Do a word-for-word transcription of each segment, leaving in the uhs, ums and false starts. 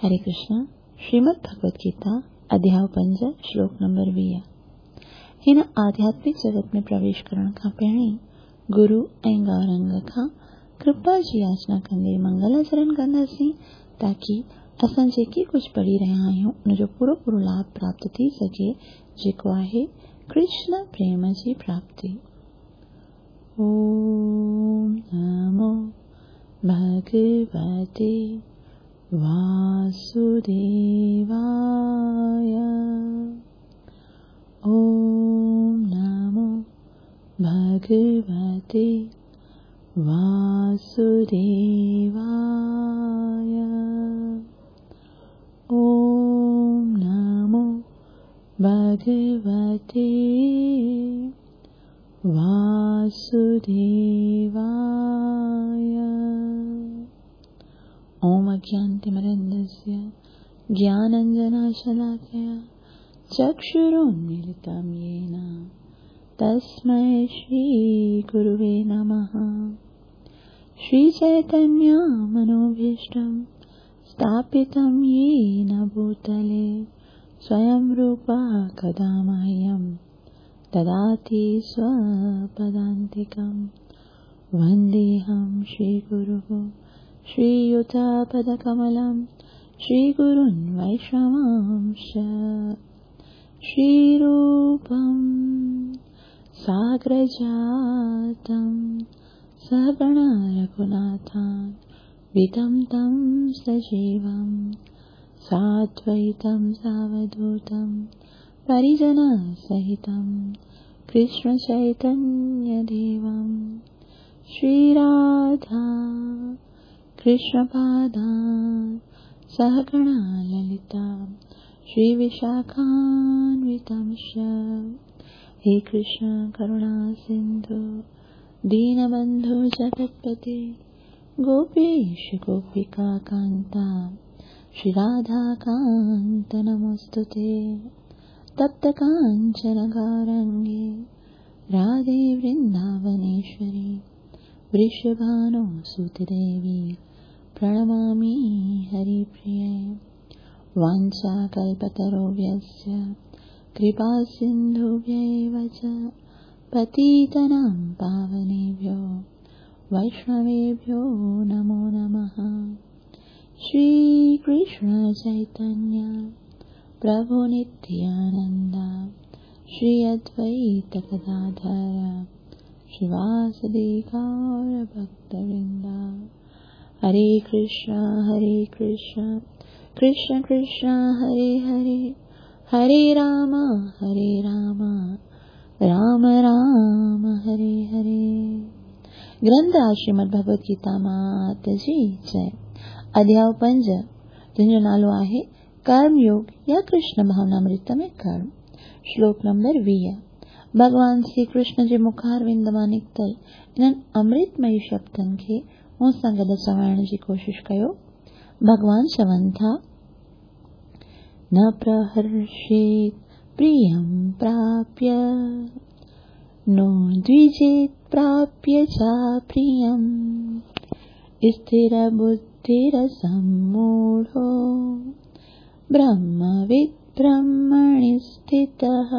हरे कृष्णा। श्रीमद् भगवत गीता अध्याय पंज श्लोक नंबर वीह। हिन आध्यात्मिक जगत में प्रवेश करण खां पहिरीं गुरु ऐं गौरंग खां कृपा जी याचना कंदे मंगलाचरण कंदासीं ताकी असां जेके कुझु पढ़ी रहिया आहियूं उनजो पूरो पूरो लाभ प्राप्त थी सघे, जेको आहे कृष्ण प्रेम जी प्राप्ति। ओम नमो भगवते वासुदेवाय। ओम नमो भगवते वासुदेवाय। ओम नमो भगवते वासुदेवाय। ओम अज्ञानतिमिरान्धस्य ज्ञानाञ्जनशलाकया चक्षुरुन्मीलितं येन तस्मै श्रीगुरुवे नमः। श्रीचैतन्यमनोभीष्टं स्थापितं येन भूतले स्वयं रूपा कदा मह्यं ददाति स्वपदान्तिकं। वन्देऽहं श्रीगुरुः श्रीयुतपदकमलं श्रीगुरुन् वैष्णवांश्च। श्रीरूपं साग्रजातं सहगण रघुनाथान्वितं तं सजीवं साद्वैतं सावधूतं परिजनसहितं कृष्णचैतन्यदेवं। श्रीराधा कृष्णपादान् सहगणा ललिता श्रीविशाखान्वितंश्च। हे कृष्ण करुणा सिन्धु दीनबन्धु जगत्पते गोपेश गोपिका कान्ता श्रीराधाकान्त नमोऽस्तु ते। तप्त काञ्चन गौरङ्गे राधे वृन्दावनेश्वरी वृषभानो सुतदेवी प्रणमामि हरिप्रिये। वाञ्छाकल्पतरुभ्यश्च कृपा सिन्धुभ्यैव च पतितानां पावनेभ्यो वैष्णवेभ्यो नमो नमः। श्रीकृष्ण चैतन्य प्रभु नित्यानन्द श्री अद्वैत गदाधर श्रीवासदि गौर भक्तवृंद। हरे कृष्ण हरे कृष्ण कृष्ण कृष्ण हरे हरे, हरे राम हरे राम राम राम हरे हरे। ग्रंथ आहे श्रीमद् भगवत गीता मात जी जय। अध्याय पंज जंहिंजो नालो आहे कर्म योग या कृष्ण भावनामृत में कर्म। श्लोक नंबर वीह। भॻवान श्री कृष्ण जे मुखारविंद मां निकितल इन्हनि अमृतमयी शब्दनि खे मूं सां गॾु चवाइण जी कोशिशि कयो। भॻवान चवनि था, न प्रहर्षेत् प्रियं प्राप्य नो द्विजेत् प्राप्य च प्रियम् स्थिरबुद्धिरसम्मूढो ब्रह्मविद् ब्रह्मणि स्थितः।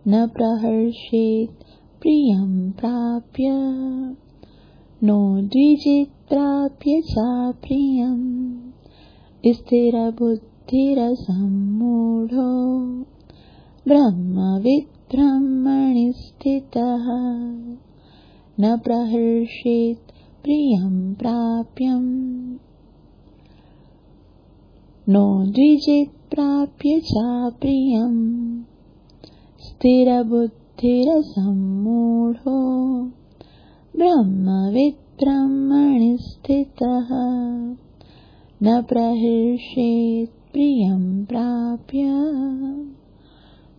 न प्रहर्षेत् प्रियं प्राप्य नो द्विजेत् प्राप्य च प्रियम् स्थिरबुद्धिरसम्मूढो ब्रह्मविद् ब्रह्मणि स्थितः। न प्रहर्षेत् प्रियं प्राप्यं नो द्विजेत् प्राप्य च प्रियम् स्थिरबुद्धिरसम्मूढो ब्रह्मविद् ब्रह्मणि स्थितः। न प्रहर्षेत् प्रियं प्राप्य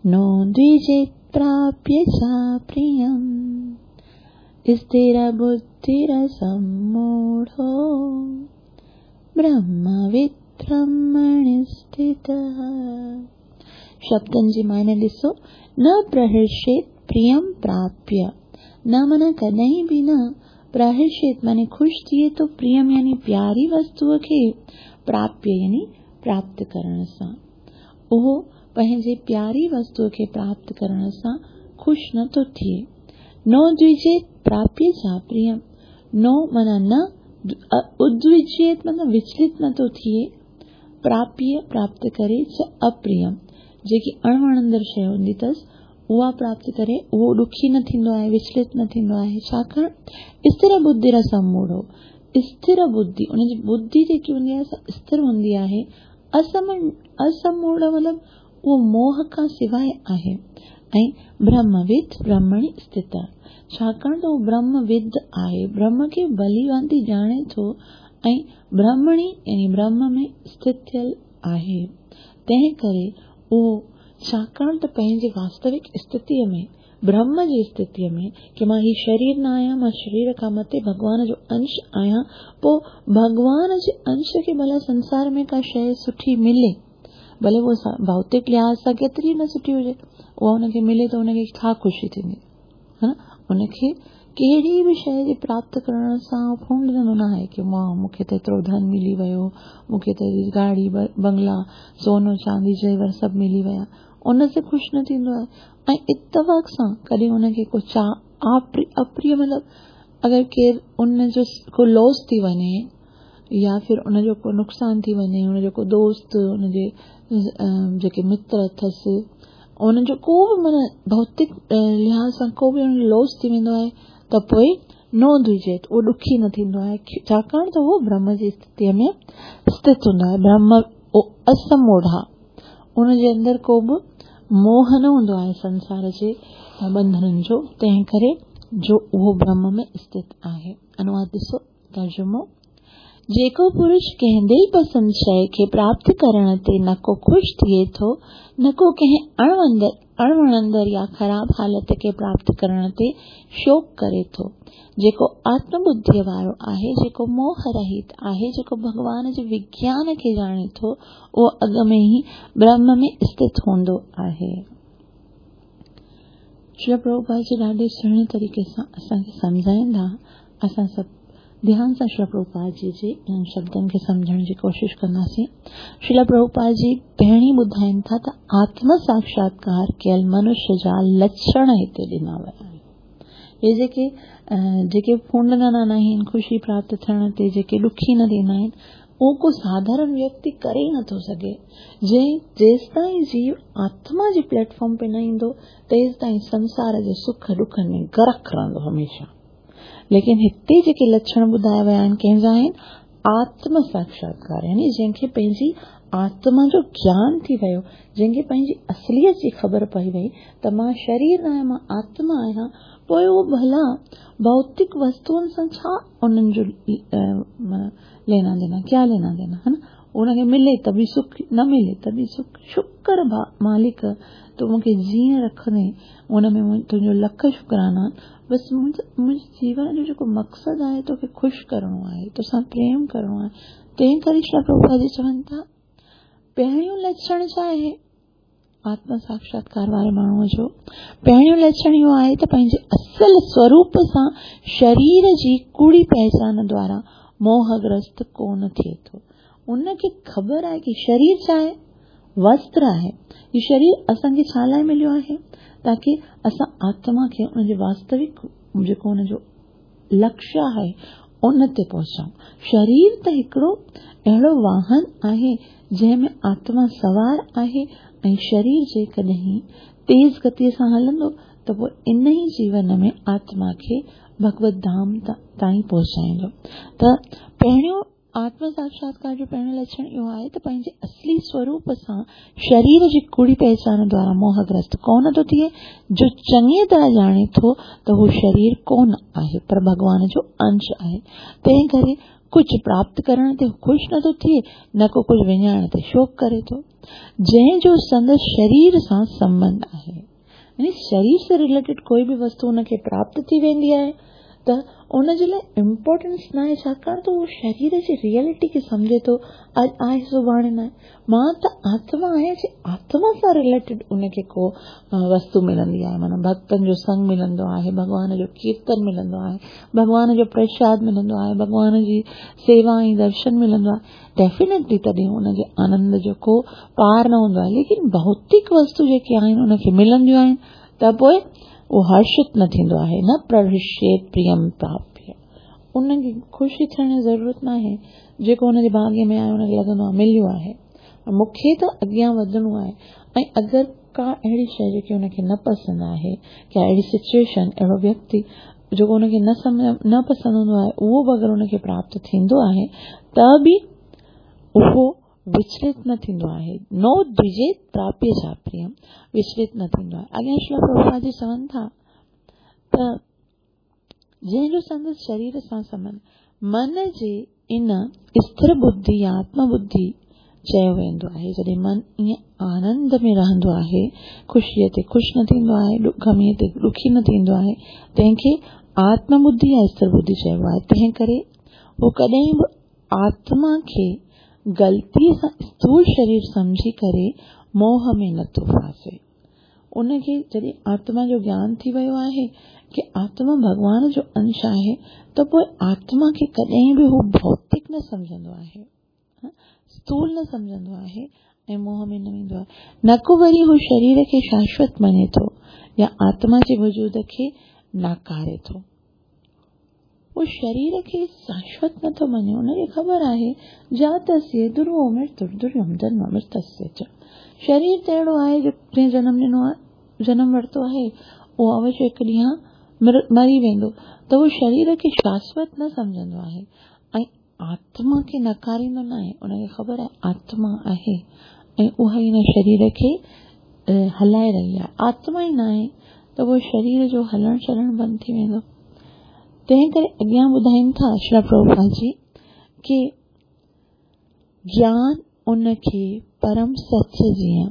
नो द्विजेत् प्राप्य च प्रियम् स्थिरबुद्धिरसम्मूढो ब्रह्मविद् ब्रह्मणि स्थितः। शब्दनि जी मायने ॾिसो, न प्रहर्षेत् प्रियं प्राप्य, न माना कॾहिं बि न प्रहर्षेत माने ख़ुशि थिए थो, प्रियम यानी प्यारी वस्तूअ खे, प्राप्य यानी प्राप्त करण सां। उहो पंहिंजे प्यारी वस्तूअ खे प्राप्त करण सां ख़ुशि नथो थिए। नो द्विजेत प्राप्य चा प्रियम, नो माना न, उद्विजेत माना विचलित नथो थिए, प्राप्य प्राप्त करे च अप्रियम जेकी अणवणंदड़ शइ हूंदी अथसि उहा प्राप्त करे, उहो ॾुखी न थींदो आहे, विचलित न थींदो आहे। छाकाणि स्थिर बुद्धि असमूढ़ो, स्थिर बुद्धि उनजी बुद्धि जेकी हूंदी आहे सा स्थिर हूंदी आहे। असम असमूढ़ मतिलबु उहो मोह खां सवाइ आहे। ऐं ब्रह्मविद ब्रह्मणि स्थित, छाकाणि त उहो ब्रह्मविद आहे, ब्रह्म खे भली भांति ॼाणे थो ऐं ब्रह्मणि यानी ब्रह्म में स्थित थियल आहे। तंहिं करे उहो छाकाणि त पंहिंजे वास्तविक स्थितीअ में, ब्रह्म जी स्थितीअ में की मां हीउ शरीर न आहियां, मां शरीर खां मथे भॻवान जो अंश आहियां, पोइ भॻवान जे अंश खे भला संसार में का शइ सुठी मिले, भले उहा भौतिक लिहाज़ सां केतिरी न सुठी हुजे, उहा हुनखे मिले त हुनखे छा ख़ुशी थींदी, हा न? हुनखे कहिड़ी बि शइ जे प्राप्त करण सां फुंडंदो न आहे की मां मूंखे त एतिरो धन मिली वियो, मूंखे त गाड़ी बंगला सोनो चांदी जेवर सभु मिली विया, उन ते ख़ुशि न थींदो आहे। ऐं इतफ़ाक़ सां कॾहिं हुनखे को चाह अप्रिय मतिलबु अगरि केरु उनजो को लॉस थी वञे या फिर उनजो को नुक़सानु थी वञे, हुनजो को दोस्त, हुनजे जेके मित्र अथसि, उन्हनि जो को बि माना भौतिक लिहाज़ सां को बि हुनजो लॉस थी वेंदो आहे त पोइ नो द्विजेत, उहो ॾुखी न थींदो आहे, छाकाणि त उहो ब्रह्म जी स्थितीअ में स्थित हूंदो आहे। ब्रह्म असमूढ़ा, उनजे अंदरि को बि मोह न हूंदो आहे संसार जे बंधननि जो, तंहिं करे जो उहो ब्रह्म में स्थित आहे। अनुवाद ॾिसो, तर्जुमो। जेको पुरुष कंहिं दिलि पसंदि शइ खे प्राप्त करण ते न को ख़ुशि थिए थो, न को कंहिं अणवंदड़ अणवणंदड़ या ख़राब हालत खे प्राप्त करण ते शोक करे थो, जेको आत्मबुद्धीअ वारो आहे, जेको मोह रहित आहे, जेको भॻवान जे विज्ञान खे ॼाणे थो, उहो अॻु में ई ब्रह्म में स्थित हूंदो आहे। श्री प्रभुपाद जी ॾाढे सुहिणे तरीक़े सां असांखे सम्झाईंदा। असां सभु ध्यान सां श्रील प्रभुपाद जी जे इन्हनि शब्दनि खे सम्झण जी कोशिशि कंदासीं। श्रील प्रभुपाद जी पहिरीं ॿुधाइनि था त आत्म साक्षात्कार कयल मनुष्य जा लक्षण हिते ॾिना विया आहिनि। इहे जेके जेके फुंडंदा न आहिनि ख़ुशी प्राप्त थियण ते, जेके ॾुखी न थींदा आहिनि, उहो को साधारण व्यक्ति करे ई नथो सघे। जंहिं जेसि ताईं जीव आत्मा जे प्लेटफॉर्म ते न ईंदो, तेसि ताईं संसार जे सुख ॾुखनि में गरक रहंदो हमेशा। लेकिन हिते जेके लक्षण ॿुधाया विया आहिनि कंहिंजा आहिनि? आत्म साक्षात्कार, यानी जंहिंखे पंहिंजी आत्मा जो ज्ञान थी वियो, जंहिंखे पंहिंजी असलियत जी ख़बर पई वई त मां शरीर न आहियां, मां आत्मा आहियां, पोइ उहो भला भौतिक वस्तुअनि सां छा उन्हनि जो लेना देना, क्या लेना देना, है न? उनखे मिले त बि सुख, न मिले त बि सुख। शुक्र मालिक, तूं मूंखे जीअं रखंदे उन में तुंहिंजो लख शुक्राना। बसि मुंहिंजे जीवन जो जेको मक़सदु आहे तोखे ख़ुशि करिणो आहे, तोसां प्रेम करिणो आहे। तंहिं करे श्री प्रभुपाद जी चवनि था पहिरियों लक्षण छा आहे आत्म साक्षात्कार वारे माण्हूअ जो? पहिरियों लक्षण इहो आहे त पंहिंजे असल स्वरूप सां शरीर जी कूड़ी पहचान द्वारा मोहग्रस्त कोन थिए थो। उनखे ख़बर आहे की शरीर छा आहे? वस्त्र आहे। इहो शरीर असांखे छा लाइ मिलियो आहे? ताकी असां आत्मा खे उनजे वास्तविक जेको हुनजो लक्ष्य आहे उन ते पहुचाऊं। शरीर त हिकिड़ो अहिड़ो वाहन आहे जंहिं में आत्मा सवार आहे ऐं शरीर जेकॾहिं तेज़ गतीअ सां हलंदो त पोइ इन ई जीवन में आत्मा खे भगवत धाम ताईं पहुचाईंदो। त पहिरियों आत्म साक्षात्कार जो पहिरियों लक्षण इहो आहे त पंहिंजे असली स्वरूप सां शरीर जी कूड़ी पहचान द्वारा मोहग्रस्त कोन थो थिए। जो चङी तरह ॼाणे थो त हू शरीर कोन आहे पर भॻवान जो अंश आहे, तंहिं करे कुझु प्राप्त करण ते ख़ुशि नथो थिए, न को कुझु विञाइण ते शोक करे थो। जंहिंजो संदसि शरीर सां संबंध आहे, यानी शरीर से रिलेटेड कोई बि वस्तु हुनखे प्राप्त थी वेंदी आहे त उन जे लाइ इम्पोर्टेंस न आहे, छाकाणि त उहो शरीर जी रियलिटी खे सम्झे थो, अॼु आहे सुभाणे न आहे। मां त आत्मा आहियां, जे आत्मा सां रिलेटेड उनखे को वस्तु मिलंदी आहे, माना भक्तनि जो संग मिलंदो आहे, भॻवान जो कीर्तन मिलंदो आहे, भॻवान जो प्रसाद मिलंदो आहे, भॻवान जी सेवा ऐं दर्शन मिलंदो आहे, डेफिनेटली तॾहिं उनजे आनंद जो को पार न हूंदो आहे। लेकिन भौतिक वस्तु जेके आहिनि उनखे मिलंदियूं आहिनि त पोइ उहो हर्षित न थींदो आहे, न प्रहृष्येत प्रियम प्राप्य, उनखे ख़ुशी थियण जी ज़रूरत न आहे, जेको हुनजे भाग्य में आहे हुनखे लॻंदो आहे मिलियो आहे, मूंखे त अॻियां वधणो आहे। ऐं अगरि का अहिड़ी शइ जेकी हुनखे न पसंदि आहे, का अहिड़ी सिचुएशन, अहिड़ो व्यक्ति जेको हुनखे न सम्झ न पसंदि हूंदो आहे, उहो बि अगरि हुनखे प्राप्त थींदो आहे त बि उहो विचलित न थींदो आहे, नो द्विजेत प्राप्य चा प्रियम, विचलित न थींदो आहे। अॻियां श्रील प्रभुपाद जी चवनि था त जंहिंजो संदसि शरीर सां संबंध, मन जे इन स्थिर बुद्धि या आत्मबुद्धि चयो वेंदो आहे। जॾहिं मन ईअं आनंद में रहंदो आहे, ख़ुशीअ ते ख़ुशि न थींदो आहे, ग़मीअ ते ॾुखी न थींदो आहे, तंहिंखे आत्मबुद्धि या स्थिर बुद्धि चइबो आहे। तंहिं करे उहो कॾहिं बि आत्मा खे ग़लती सां स्थूल शरीर सम्झी करे मोह में नथो फासे। उनखे जॾहिं आत्मा जो ज्ञान थी वियो आहे की आत्मा भॻवान जो अंश आहे, त पोइ आत्मा खे कॾहिं बि हू भौतिक न सम्झंदो आहे, स्थूल न सम्झंदो आहे ऐं मोह में न वेंदो आहे। न को वरी हू शरीर खे शाश्वत मञे थो या आत्मा जे वजूद खे नाकारे थो। उहो शरीर खे शाश्वत नथो मञे, उनखे ख़बर आहे जातस्य दुर्वो मृत्युर् दुर्यम जन्म मृतस्य च। शरीर त अहिड़ो आहे जो जंहिं जनम ॾिनो आहे, जनम वरितो आहे, उहो अवश्य हिकु ॾींहुं मरी वेंदो, त उहो शरीर खे शाश्वत न सम्झंदो आहे ऐं आत्मा खे नकारींदो न आहे। उनखे ख़बर आहे आत्मा आहे ऐं उहा ई हिन शरीर खे हलाए रही आहे, आत्मा ई न आहे त उहो शरीर जो हलणु चलणु बंदि थी वेंदो। तंहिं करे अॻियां ॿुधाइनि था श्रील प्रभुपाद जी की ज्ञान उनखे परम सच जीअं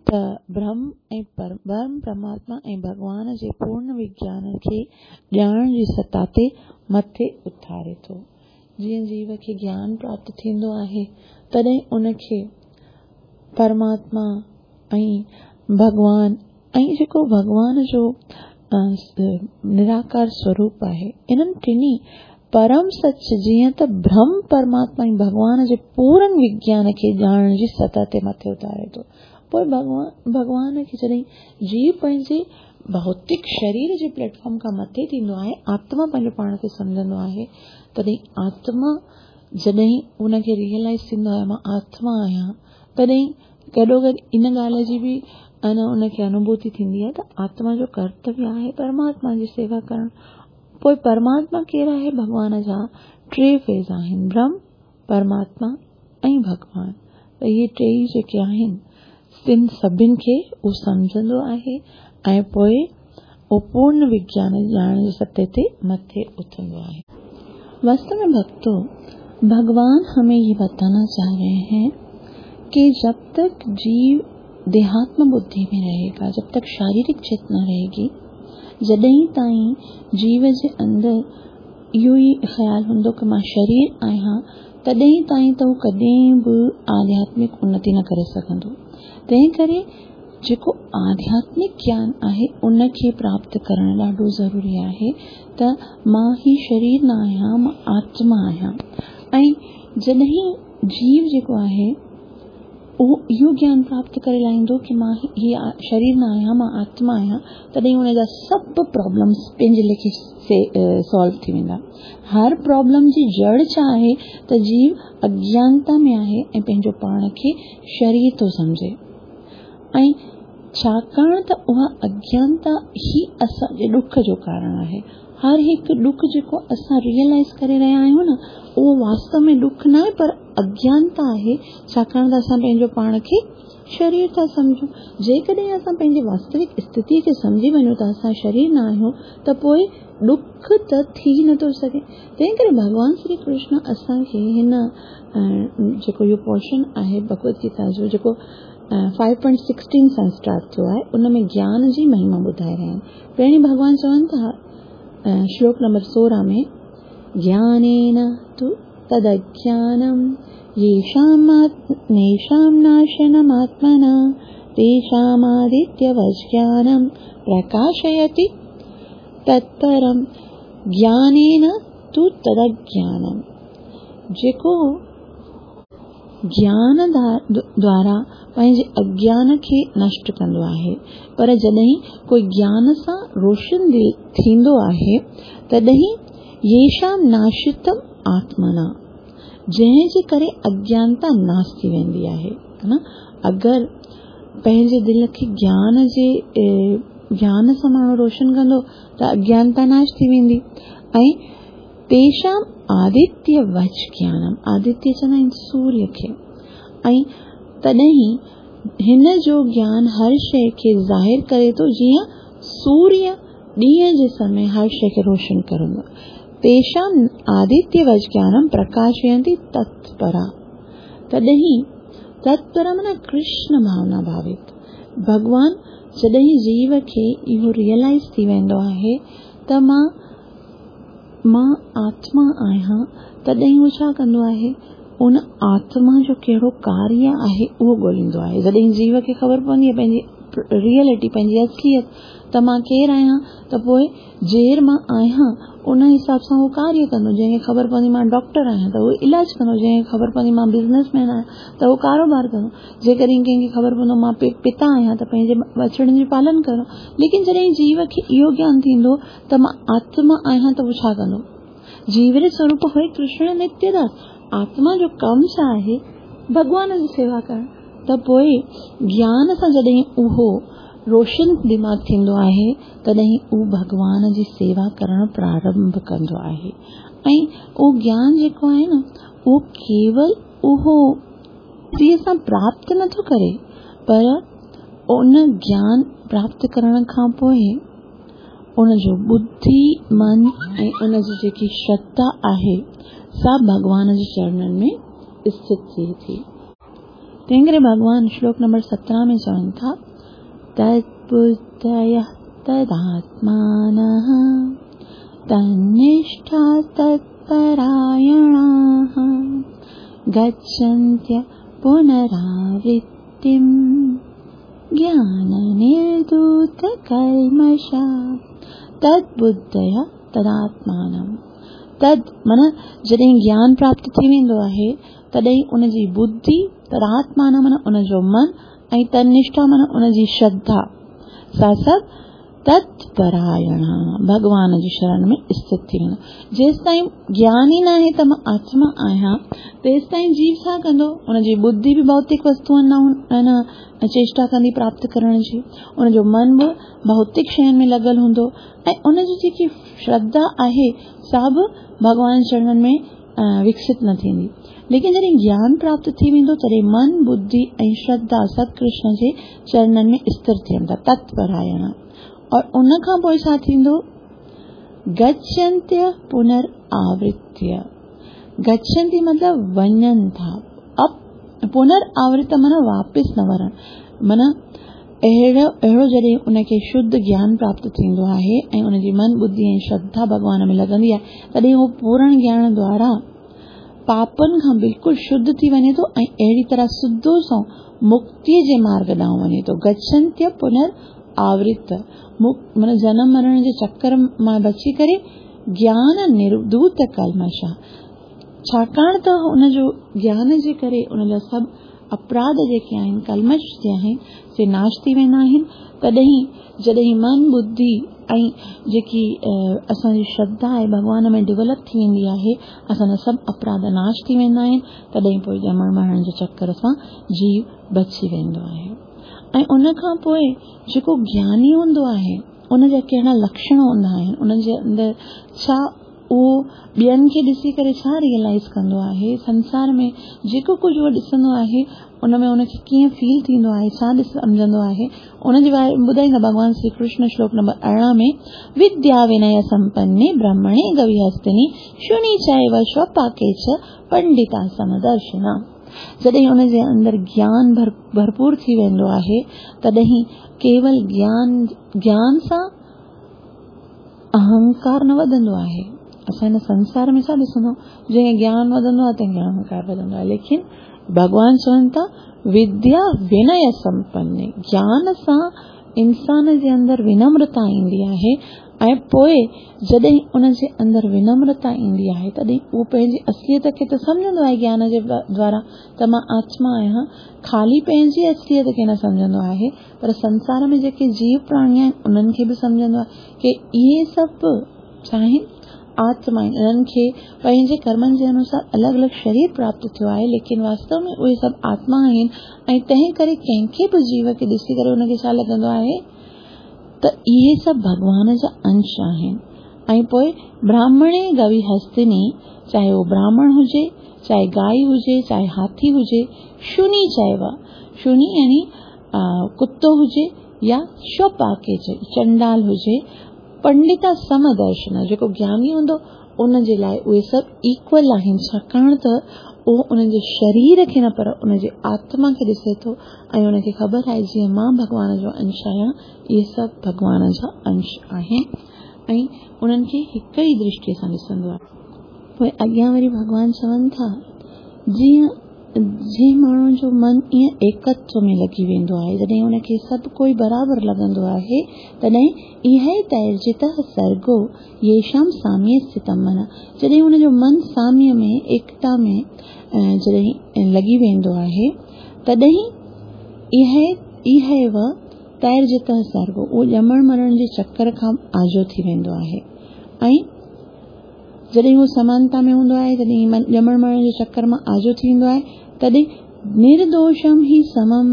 त ब्रह्म ऐं ब्रह्म परमात्मा ऐं भॻवान जे पूर्ण विज्ञान खे ॼाणण जी सतह ते मथे उथारे थो। जीअं जीव खे ज्ञान प्राप्त थींदो आहे तॾहिं उनखे परमात्मा ऐं भॻवान ऐं जेको भॻवान जो निराकार स्वरूप आहे, इन्हनि टिन्ही परम सच जीअं त ब्रह्म परमात्मा ऐं भॻवान जे पूर्ण विज्ञान खे ॼाणण जी सतह ते मथे उतारे थो। पोइ भॻवान भॻवान खे जॾहिं जीव पंहिंजे भौतिक शरीर जे प्लेटफॉर्म खां मथे थींदो आहे, आत्मा पंहिंजो पाण खे सम्झंदो आहे, तॾहिं आत्मा जॾहिं उनखे रियलाइज़ थींदो आहे मां आत्मा आहियां, तॾहिं गॾोगॾु इन ॻाल्हि जी बि अन उनखे अनुभूति थींदी आहे त आत्मा जो कर्तव्य आहे परमात्मा जी सेवा करणु। पोइ परमात्मा केरु आहे? भॻवान जा टे फेज़ आहिनि, ब्रह्म, परमात्मा ऐं भॻवान। त इहे टेई जेके आहिनि तिन सभिनि खे उहो सम्झंदो आहे ऐं पोइ उहो पूर्ण विज्ञान ॼाणण जे सतह ते मथे उथंदो आहे। वास्तव में भक्तों, भगवान हमें ये बताना चाह रहे हैं कि जब तक जीव देहात्म बुद्धि में रहेगा, जब तक शारीरिक चेतना रहेगी, जॾहिं ताईं जीव जे अंदरि इहो ई ख़्यालु हूंदो की मां शरीर आहियां, तॾहिं ताईं त हू कॾहिं बि आध्यात्मिक उन्नति न करे सघंदो। तंहिं करे जेको आध्यात्मिक ज्ञान आहे उनखे प्राप्त करणु ॾाढो ज़रूरी आहे त मां ही शरीर न आहियां, मां आत्मा आहियां। ऐं जॾहिं जीव जेको आहे उहो इहो ज्ञान प्राप्त करे लाहींदो की मां हीअ शरीर न आहियां, मां आत्मा आहियां, तॾहिं हुनजा सभु प्रॉब्लम्स पंहिंजे लेखे सॉल्व थी वेंदा। हर प्रॉब्लम जी जड़ छा आहे त जीव अज्ञानता में आहे ऐं पंहिंजो पाण खे शरीर थो सम्झे, ऐं छाकाणि त उहा अज्ञानता ई असांजे ॾुख जो कारण आहे। हर हिकु ॾुख जेको असां रियलाइज़ करे रहिया आहियूं न, उहो वास्तव में ॾुख न आहे पर अज्ञानता आहे, छाकाणि त असां पंहिंजो पाण खे शरीर था सम्झूं। जेकॾहिं असां पंहिंजी वास्तविक स्थितीअ खे सम्झी वञूं त असां शरीर न आहियूं, त पोइ ॾुख त थी नथो सघे। तंहिं करे भॻवान श्री कृष्ण असांखे हिन जेको इहो पोर्शन आहे भगवत गीता जो, जेको फाइव पॉइंट सिक्सटीन सां स्टार्ट थियो आहे, उन में ज्ञान जी महिमा ॿुधाए रहिया आहिनि। पहिरीं भॻवान चवनि था श्लोक नंबर सोरहं में, ज्ञानेन तु तदज्ञानम येषां नेषां नाशनमात्मना तेषामादित्यवज्ञानं प्रकाशयति तत्परं। ज्ञानेन तु तदज्ञानम, जेको ज्ञान द्वारा पंहिंजे अज्ञान खे नष्ट कंदो आहे, पर जॾहिं कोई ज्ञान सां रोशन दिल थींदो आहे तॾहिं येषां नाशितम आत्मना, जंहिंजे करे अज्ञानता नाश थी वेंदी आहे, है न। अगरि पंहिंजे दिल खे ज्ञान जे ज्ञान सां माण्हू रोशन कंदो त अज्ञानता नाश थी वेंदी। ऐं तेषां आदित्य वच ज्ञानम, आदित्य चवंदा आहिनि सूर्य खे, ऐं तॾहिं हिन जो ज्ञान हर शइ खे ज़ाहिर करे थो, जीअं सूर्य ॾींहं जे समय हर शइ खे रोशन कंदो। तेषां आदित्य वच ज्ञानम प्रकाशयन्ति तत्परा, तॾहिं तत्परा माना कृष्ण भावना भावित। भॻवान जॾहिं जीव खे इहो रियलाइज़ थी वेंदो आहे त मां मां आत्मा आहियां, तॾहिं उहो छा कंदो आहे, उन आत्मा जो कहिड़ो कार्य आहे उहो ॻोल्हींदो आहे। जॾहिं जीव खे ख़बर पवंदी आहे पंहिंजी रियलिटी, पंहिंजी असलियत, त मां केरु आहियां, त पोइ जेर मां आहियां उन हिसाब सां उहो कार्य कंदो। जंहिंखे ख़बर पवंदी मां डॉक्टर आहियां त उहो इलाज कंदो, जंहिंखे ख़बर पवंदी मां बिज़नेसमैन आहियां त उहो कारोबार कंदो, जेकॾहिं कंहिंखे ख़बर पवंदो मां पिता आहियां त पंहिंजे बचड़नि जो पालन कंदो। लेकिन जॾहिं जीव खे इहो ज्ञान थींदो त मां आत्मा आहियां त उहो छा कंदो, जीव रे स्वरूप हुए कृष्ण नित्यदास, आत्मा जो कमु छा आहे, भॻवान जी सेवा करणु। त पोइ ज्ञान सां जॾहिं उहो रोशन दिमाग़ थींदो आहे तॾहिं उहो भॻवान जी सेवा करणु प्रारंभ कंदो आहे। ऐं उहो ज्ञान जेको आहे न उहो केवल उहो सां प्राप्त नथो करे, पर उन ज्ञान प्राप्त करण खां पोइ उन जो बुद्धि, मन ऐं उन जी जेकी श्रद्धा आहे सा भॻवान जे चरणनि में स्थित थिए थी। तंहिं करे भॻवान श्लोक नंबर सत्रहं में चवनि था, तद्बुद्धयः तदात्मानः तन्निष्ठा तत्परायणाः गच्छन्त्य पुनरावृत्तिं ज्ञाननिर्धूतकल्मषा। तद्बुद्धयः तदात्मानम्, तद माना जॾहिं ज्ञान प्राप्त थी वेंदो आहे तॾहिं उनजी बुद्धि, तदात्मान माना उनजो मन, ऐं तन्निष्ठा माना उनजी श्रद्धा, सा सभु तत्परायण भॻवान जी शरण में स्थित थी वेंदो। जेसि ताईं ज्ञान ई न आहे त मां आत्मा आहियां, तेसि ताईं जीव छा कंदो, उनजी बुद्धि बि भौतिक वस्तुअनि ॾांहुं चेष्टा कंदी प्राप्त करण जी, उनजो मन बि भौतिक शयुनि में लॻल हूंदो, ऐं उनजी जेकी श्रद्धा आहे सा बि भॻवान चरणनि में विकसित न थींदी। लेकिन जॾहिं ज्ञान प्राप्त थी वेंदो तॾहिं मन, बुद्धि ऐं श्रद्धा सभु कृष्ण जे चरणनि में स्थिर थियनि था, तत्परायण। और उन खां पोइ छा थींदो, गच्छन्त्य पुनरावृत्य, गच्छन्ति मतलब वञनि था, अब पुनरावृत्त माना वापसि न वरणु, माना अहिड़ो अहिड़ो जॾहिं उनखे शुद्ध ज्ञान प्राप्त थींदो आहे ऐं उनजी मन, बुद्धि ऐं श्रद्धा भॻवान में लॻंदी आहे, तॾहिं उहो पूर्ण ज्ञान द्वारा पापनि खां बिल्कुलु शुद्ध थी वञे थो ऐं अहिड़ी तरह सिधो सो मुक्तीअ जे मार्ग ॾांहुं वञे थो। गच्छन्त्य पुनरावृत्त, माना जनम मरण जे चक्कर मां बची करे ज्ञान निर्धूत कल्मषा, छाकाणि त उनजो ज्ञान जे करे उनजा सभु अपराध जेके आहिनि, कल्मष जे आहिनि, से नाश थी वेंदा आहिनि। तॾहिं जॾहिं मन, बुद्धि ऐं जेकी असांजी श्रद्धा आहे भॻवान में डेवलप थी वेंदी आहे, असांजा सभु अपराध नाश थी वेंदा आहिनि, तॾहिं पोइ ॼमण मरण जे चक्कर सां जीव बची वेंदो आहे। ऐं उन खां पोइ जेको ज्ञानी हूंदो आहे उनजा कहिड़ा लक्षण हूंदा आहिनि, उनजे अंदरि छा उहो ॿियनि खे ॾिसी करे छा रियलाइज़ कंदो आहे, संसार में जेको कुझु उहो ॾिसंदो आहे उन में उनखे कीअं फील थींदो आहे, छा ॾिस सम्झंदो आहे, उनजे बारे में ॿुधाईंदा भॻवान श्री कृष्ण श्लोक नंबर अरिड़हं में, विद्या विनय संपन्ने ब्राह्मणे गविहस्तिनि शुनि चैव श्वपाके च पंडिता समदर्शिना। जॾहिं उनजे अंदरि ज्ञान भर भरपूर थी वेंदो आहे तॾहिं केवल ज्ञान ज्ञान सां अहंकार न वधंदो आहे। असां हिन संसार में छा ॾिसंदो, जंहिं ज्ञान वधंदो आहे तंहिंखे अहंकार वधंदो आहे। लेकिन भॻवान चवनि था विद्या विनय संपन्न, ज्ञान सां इंसान जे अंदरि विनम्रता ईंदी आहे ऐं पोइ जॾहिं उन जे अंदरि विनम्रता ईंदी आहे तॾहिं उहो पंहिंजी असलियत खे त सम्झंदो आहे ज्ञान जे द्वारा त मां आत्मा आहियां, ख़ाली पंहिंजी असलियत खे न सम्झंदो आहे पर संसार में जेके जीव प्राणी आहिनि उन्हनि खे बि सम्झंदो आहे की इहे सभु छा आहिनि, आत्मा आहिनि। इन्हनि खे पंहिंजे कर्मनि जे अनुसार अलॻि अलॻि शरीर प्राप्त थियो आहे, लेकिन वास्तव में उहे सभु आत्मा आहिनि ऐं तंहिं करे कंहिंखे बि जीव खे ॾिसी करे उनखे छा लॻंदो आहे त इहे सभु भॻवान जा अंश आहिनि। ऐं पोइ ब्राह्मणे गवी हस्तिनी, चाहे उहो ब्राह्मण हुजे, चाहे गाय हुजे, चाहे हाथी हुजे, शुनी चइबो आहे, शुनी यानी कुत्तो हुजे या शोपाके चंडाल हुजे, पंडिता समदर्शन, जेको ज्ञानी हूंदो उन जे लाइ उहे सभु इक्वल आहिनि, छाकाणि त उहो उन जे शरीर खे न पर उन जे आत्मा खे ॾिसे थो ऐं उनखे ख़बर आहे जीअं मां भॻवान जो अंश आहियां, इहे सभु भॻवान जा अंश आहिनि ऐं उन्हनि खे हिकु ई दृष्टीअ सां ॾिसंदो आहे। पोइ अॻियां वरी भॻवान चवनि था जीअं जंहिं माण्हू जो मन ईअं एकत्व में लॻी वेंदो आहे, जॾहिं उनखे सभु कोई बराबरि लॻंदो आहे, तॾहिं इहा ई तैर्जितः सर्गो येषां साम्ये स्थितं मनः, जॾहिं हुनजो मन साम्य में एकता में जॾहिं लॻी वेंदो आहे तॾहिं इहा इहा इव तैर्जितः सर्गो, उहो ॼमण मरण जे चक्कर खां आजो थी वेंदो आहे। ऐं जॾहिं उहो समानता में हूंदो आहे, जॾहिं ॼमण मरण जे चक्कर मां आजो थी वेंदो आहे, तॾहिं निर्दोषम ही समम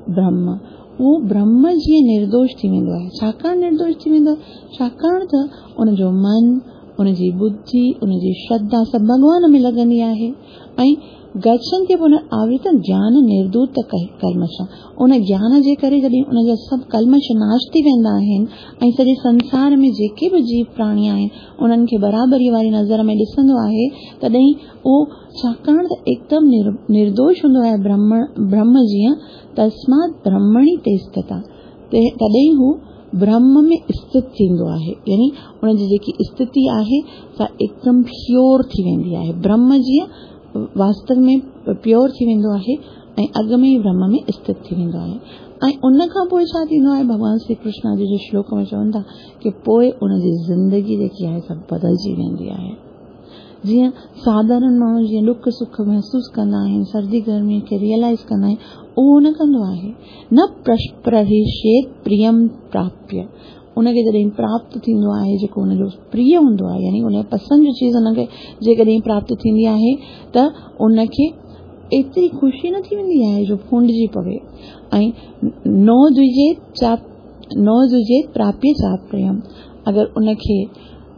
ब्रह्म, उहो ब्रह्म जीअं निर्दोष थी वेंदो आहे। छाकाणि निर्दोष थी वेंदो आहे? छाकाणि त उनजो मन, उनजी बुद्धि, उनजी श्रद्धा सभु भॻवान में लॻंदी आहे। ऐं गच्छन्ति पुनरावृतम ज्ञान निर्दूत कल्मष, उन ज्ञान जे करे जॾहिं उनजा सभु कल्मष नाश थी वेंदा आहिनि ऐं सॼे संसार में जेके बि जीव प्राणी आहिनि उन्हनि खे बराबरी वारी नज़र में ॾिसंदो आहे, तॾहिं उहो छाकाणि त एकदमि निर्दोष हूंदो आहे ब्रह्म ब्रह्म जीअं, तस्मात् ब्रह्मणि ते स्थिता, तॾहिं हू ब्रह्म में स्थित थींदो आहे, यानी उनजी जेकी स्थिति आहे सा एकदमि प्योर थी वेंदी आहे, ब्रह्म जीअं वास्तव में प्योर थी वेंदो आहे ऐं अॻु में ई ब्रह्म में स्थित थी वेंदो आहे। ऐं उन खां पोइ छा थींदो आहे, भॻवान श्री कृष्ण जी जो श्लोक में चवनि था की पोइ उनजी ज़िंदगी जेकी आहे सभु बदिलजी वेंदी आहे। जीअं साधारण माण्हू जीअं ॾुख सुख महसूसु कंदा आहिनि, सर्दी गर्मी खे रियलाइज़ कंदा आहिनि, उहो न कंदो आहे। न प्रहिष्येत प्रियम प्राप्य, उनखे जॾहिं प्राप्त थींदो आहे जेको हुनजो प्रिय हूंदो आहे, यानी हुन पसंदि जी चीज़ हुनखे जेकॾहिं प्राप्त थींदी आहे त उनखे एतिरी ख़ुशी न थी वेंदी आहे जो फूंडिजी पवे। ऐं नो द्विजेत चाप नो द्विजेत प्राप्य चाप्रियम, अगरि उनखे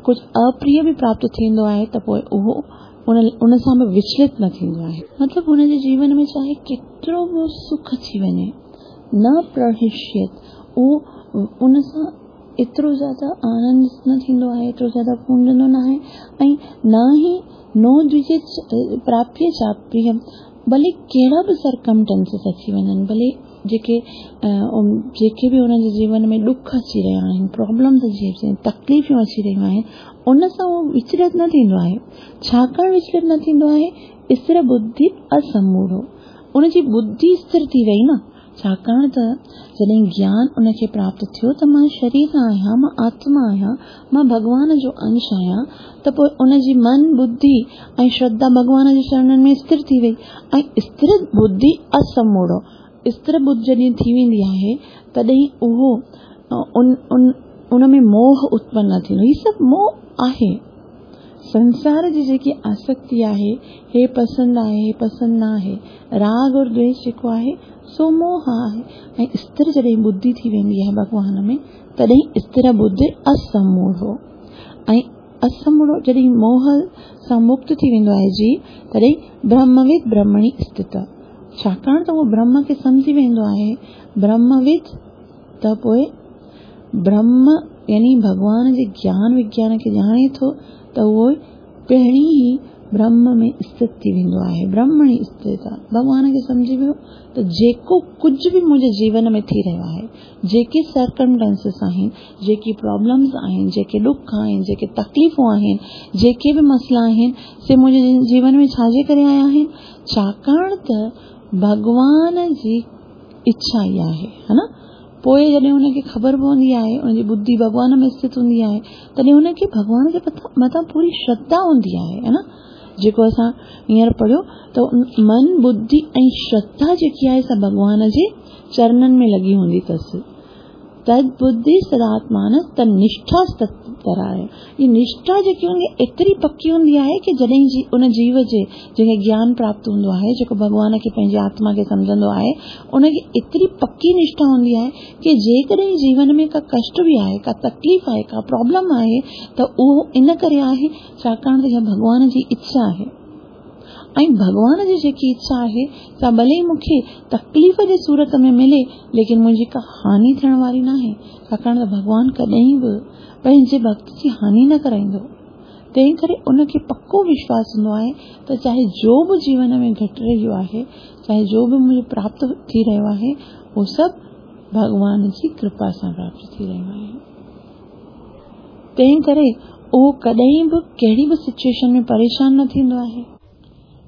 कुझु अप्रिय बि प्राप्त थींदो आहे त पोइ उहो उन उन सां बि विचलित न थींदो आहे। मतिलबु हुनजे जीवन में चाहे केतिरो बि सुख अची वञे, न प्रहिष्यत, उहो उन सां एतिरो ज़्यादा आनंद न थींदो आहे, एतिरो ज़्यादा फूंडंदो न आहे ऐं न ई नो द्विजेत प्राप्य चाप्रियम, भले कहिड़ा बि सर्कमटेंसिस अची वञनि, भले जेके जेके बि हुनजे जीवन में ॾुख अची रहिया आहिनि, प्रॉब्लम्स अची रहियूं आहिनि, तकलीफ़ूं अची रहियूं आहिनि, उन सां उहो विचलित न थींदो आहे। छाकाणि विचलित न थींदो आहे? स्थिर बुद्धि असमूढ़ो, उनजी बुद्धि स्थिर थी वई न, छाकाणि त जॾहिं ज्ञान उनखे प्राप्त थियो त मां शरीर न आहियां, मां आत्मा आहियां, मां भॻवान जो अंश आहियां, त पोइ उनजी मन बुद्धि ऐं श्रद्धा भॻवान जे चरणनि में स्थिर थी वई। ऐं स्थिर बुद्धि असमूढ़ो, स्थिर बुद्धि जॾहिं थी वेंदी आहे तॾहिं उहो उन उन उन में मोह उत्पन्न न थींदो। हीउ सभु मोह आहे, संसार जी जेकी आसक्ति आहे, हे पसंदि आहे, हे पसंदि न आहे, राग और द्वेष जेको आहे सो मोह आहे। ऐं स्थिर जॾहिं बुद्धि थी वेंदी आहे भॻवान में तॾहिं स्थिर बुद्धि असमूढ़ो, ऐं असमूढ़ो जॾहिं मोह सां मुक्त थी वेंदो आहे जीव, तॾहिं ब्रह्मविद ब्रह्मणि स्थित, छाकाणि त उहो ब्रह्म खे सम्झी वेंदो आहे, ब्रह्मविद त पोइ ब्रह्म यानी भॻवान जे ज्ञान विज्ञान खे ॼाणे थो त उहो पहिरीं ई ब्रह्म में स्थित थी वेंदो आहे, ब्रह्मणी स्थित आहे। भॻवान खे सम्झी वियो त जेको कुझु बि मुंहिंजे जीवन में थी रहियो आहे, जेके सर्कमस्टेंसेस आहिनि, जेकी प्रॉब्लम्स आहिनि, जेके ॾुख आहिनि, जेके तकलीफ़ूं आहिनि, जेके बि मसइला आहिनि, से मुंहिंजे जीवन में छाजे करे आया आहिनि? छाकाणि त भॻवान जी इच्छा इहा आहे, हा न। पोइ जॾहिं हुनखे ख़बर पवंदी आहे, हुनजी बुद्धि भॻवान में स्थित हूंदी आहे, तॾहिं हुनखे भॻवान जे मथां पूरी श्रद्धा हूंदी आहे, हा न। जेको असां हींअर पढ़ियो त मन, बुद्धि ऐं श्रद्धा जेकी आहे सा भॻवान जे चरणनि में लॻी हूंदी अथसि। तद बुद्धि सदात्मान तनिष्ठा तत्पराय। ही निष्ठा जेकी हूंदी आहे एतिरी पकी हूंदी आहे की जॾहिं जी उन जीव जे जंहिंखे ज्ञान प्राप्त हूंदो आहे, जेको भॻवान खे पंहिंजी आत्मा खे सम्झंदो आहे, उनखे एतिरी पकी निष्ठा हूंदी आहे की जेकॾहिं जीवन में का कष्ट बि आहे, का तकलीफ़ आहे, का प्रॉब्लम आहे, त उहो इन करे आहे छाकाणि त इहा भॻवान जी इच्छा आहे। ऐं भॻवान जी जेकी इच्छा आहे सा भले ई मूंखे तकलीफ़ जे सूरत में मिले, लेकिन मुंहिंजी का हानि थियण वारी न आहे, छाकाणि त भॻवान कॾहिं बि पंहिंजे भक्त जी हानि न कराईंदो। तंहिं करे उनखे पको विश्वास हूंदो आहे त चाहे जो बि जीवन में घटि रहियो आहे, चाहे जो बि मुंहिंजो प्राप्त थी रहियो आहे, उहो सभु भॻवान जी कृपा सां प्राप्त थी रहियो आहे। तंहिं करे उहो कॾहिं बि कहिड़ी बि सिचुएशन में परेशान न थींदो आहे।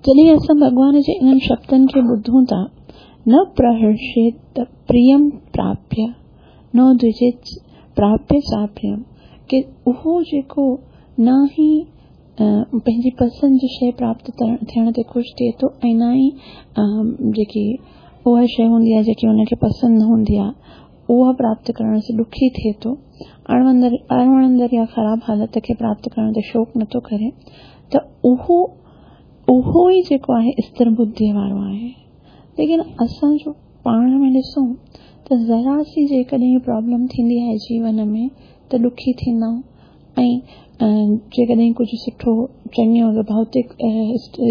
जॾहिं असां भॻवान जे इन्हनि शब्दनि खे ॿुधूं था, न प्रहर्षेत प्रियं प्राप्य न द्विजेत प्राप्य चाप्रियं, की उहो जेको न ई पंहिंजी पसंदि जी शइ प्राप्त थियण ते ख़ुशि थिए थो ऐं न ई जेकी उहा शइ हूंदी आहे जेकी हुनखे पसंदि न हूंदी आहे उहा प्राप्त करण सां ॾुखी थिए थो, अणवणंदड़ अणवणंदड़ या ख़राब हालत खे प्राप्त करण ते शौक़ु नथो करे, त उहो उहो ई जेको आहे स्थिर बुद्धीअ वारो आहे। लेकिन असांजो पाण में ॾिसूं त ज़रा सी जेकॾहिं प्रॉब्लम थींदी आहे जीवन में त ॾुखी थींदा आहियूं, ऐं जेकॾहिं कुझु सुठो चङो भौतिक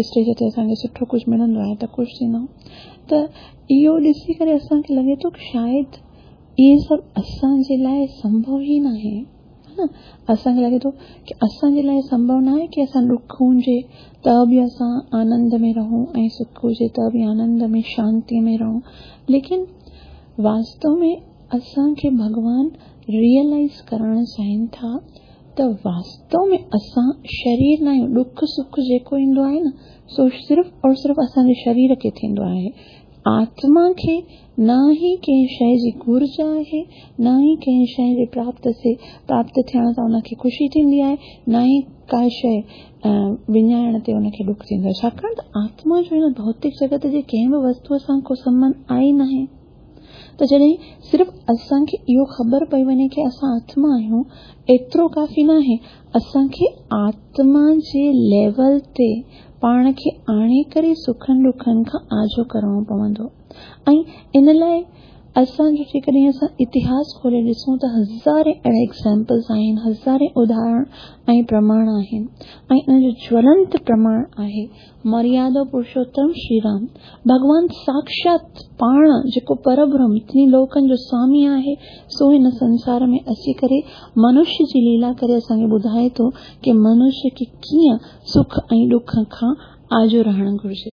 स्टेज ते असांखे सुठो कुझु मिलंदो आहे त ख़ुशि थींदा आहियूं। त इहो ॾिसी करे असांखे लॻे थो की शायदि इहे सभु असांजे लाइ संभव ई न आहे, हा न। असांखे लॻे थो की असांजे लाइ संभव न आहे की असां ॾुख हुजे त बि असां आनंद में रहूं ऐं सुख हुजे त बि आनंद में शांतीअ में रहूं, लेकिन वास्तव में असांखे भॻवान रियलाइज़ करणु चाहिनि था त वास्तव में असां शरीर न आहियूं। ॾुख सुख जेको ईंदो आहे न सो सिर्फ़ और सिर्फ़ असांजे शरीर खे थींदो आहे, आत्मा खे न ई कंहिं शइ जी घुर्ज आहे, न ई कंहिं शइ जे प्राप्त से प्राप्त थियण सां हुनखे ख़ुशी थींदी आहे, न ई का शइ विञाइण ते हुनखे ॾुख थींदो आहे। छाकाणि त आत्मा जो हिन भौतिक जगत जे कंहिं बि वस्तूअ सां को संबंध आहे ई न आहे। त जॾहिं सिर्फ़ असांखे इहो ख़बर पई वञे की असां आत्मा आहियूं, एतिरो काफ़ी न आहे, असांखे आत्मा जे लेवल ते पाण खे आणे करे सुखनि ॾुखनि खां आजो करिणो पवंदो। ऐं इन लाइ असांजो जेकॾहिं असां इतिहास खोले ॾिसूं त हज़ारे अहिड़ा एग्ज़ाम्पल्स आहिनि, हज़ारे उदाहरण ऐं प्रमाण आहिनि, ऐं इन जो ज्वलंत प्रमाण आहे मर्यादा पुरुषोत्तम श्री राम भॻवान साक्षात पाण जेको परब्रह्म टिनी लोकनि जो स्वामी आहे, सो हिन संसार में अची करे मनुष्य जी लीला करे असांखे ॿुधाए थो की मनुष्य खे कीअं सुख ऐं ॾुख खां आजो रहणु घुरिजे।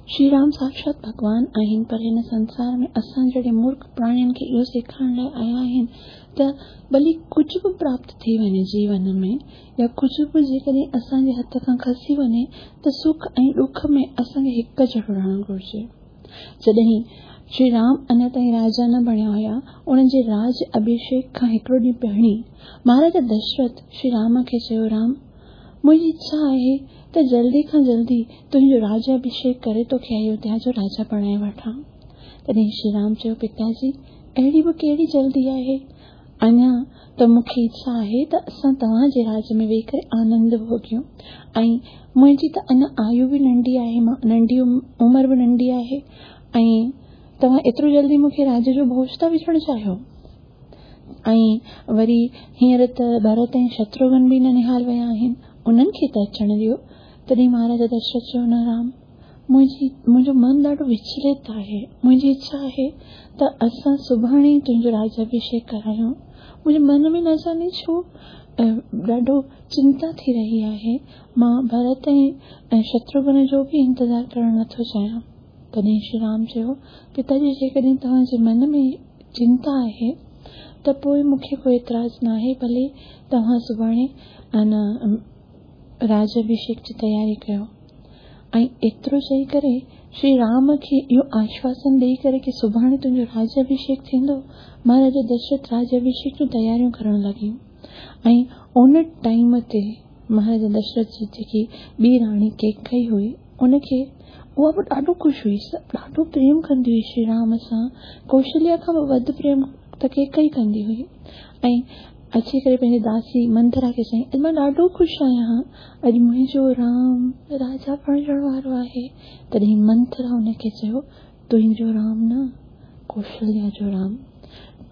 श्री राम साक्षात भॻवान आहिनि, पर हिन संसार में असां जहिड़े मूर्ख प्राणियुनि खे इहो सेखारण लाइ आया आहिनि त भली कुझु बि प्राप्त थी वञे जीवन में या कुझु बि जेकॾहिं असांजे हथ खां खसी वञे त सुख ऐं ॾुख में असांखे हिकु जहिड़ो रहणु घुरिजे। जॾहिं श्री राम अञा ताईं राजा न बणिया हुया, उन्हनि जे राज अभिषेक खां हिकिड़ो ॾींहुं पहिरीं महाराजा दशरथ श्री राम खे चयो, राम मुंहिंजी इच्छा आहे त जल्दी खां जल्दी तुंहिंजो राज अभिषेक करे तोखे अयोध्या जो राजा बणाए वठां। तॾहिं श्री राम चयो, पिताजी अहिड़ी बि कहिड़ी जल्दी आहे, अञा त मूंखे इच्छा आहे त असां तव्हांजे राज में वेही करे आनंद भोगियूं, ऐं मुंहिंजी त अञा आयु बि नंढी आहे, मां नंढी उमिरि बि नंढी आहे, ऐं तव्हां एतिरो जल्दी मूंखे राज जो भोज था विझणु चाहियो। ऐं वरी हींअर त भरत ऐं शत्रुघ्न बि न निहाल विया आहिनि, उन्हनि खे त अचणु ॾियो। तॾहिं महाराजा दशरथ चयो, न राम, मुंहिंजी मुंहिंजो मन ॾाढो विचलित आहे। मुंहिंजी इच्छा आहे त असां सुभाणे ई तुंहिंजो राजाभिषेक करायूं। मुंहिंजे मन में न जाने छो ॾाढो चिंता थी रही आहे। मां भरत ऐं शत्रुघ्न जो बि इंतज़ार करणु नथो चाहियां। तॾहिं श्री राम चयो, पिताजी जेकॾहिं तव्हांजे मन में चिंता आहे त पोइ मूंखे को एतिराज़ न आहे, भले तव्हां सुभाणे अन राजाभिषेक जी तयारी कयो। ऐं एतिरो चई करे श्री राम खे इहो आश्वासन ॾेई करे की सुभाणे तुंहिंजो राजाभिषेक थींदो। महाराजा दशरथ राजाभिषेक जूं तयारियूं करणु लॻियूं ऐं उन टाइम ते महाराजा दशरथ जी जेकी ॿी राणी केकई हुई उनखे उहा बि ॾाढो ख़ुशि हुई, ॾाढो प्रेम कंदी हुई श्री राम सां। कौशल्या खां बि वधि प्रेम त केकई कंदी हुई। ऐं अची करे पंहिंजी दासी मंथरा खे चयईं, अॼु मां ॾाढो ख़ुशि आहियां, अॼु मुंहिंजो राम राजा बणिजण वारो आहे। तॾहिं मंथरा हुनखे चयो, तुंहिंजो राम न, कौशल्या जो राम।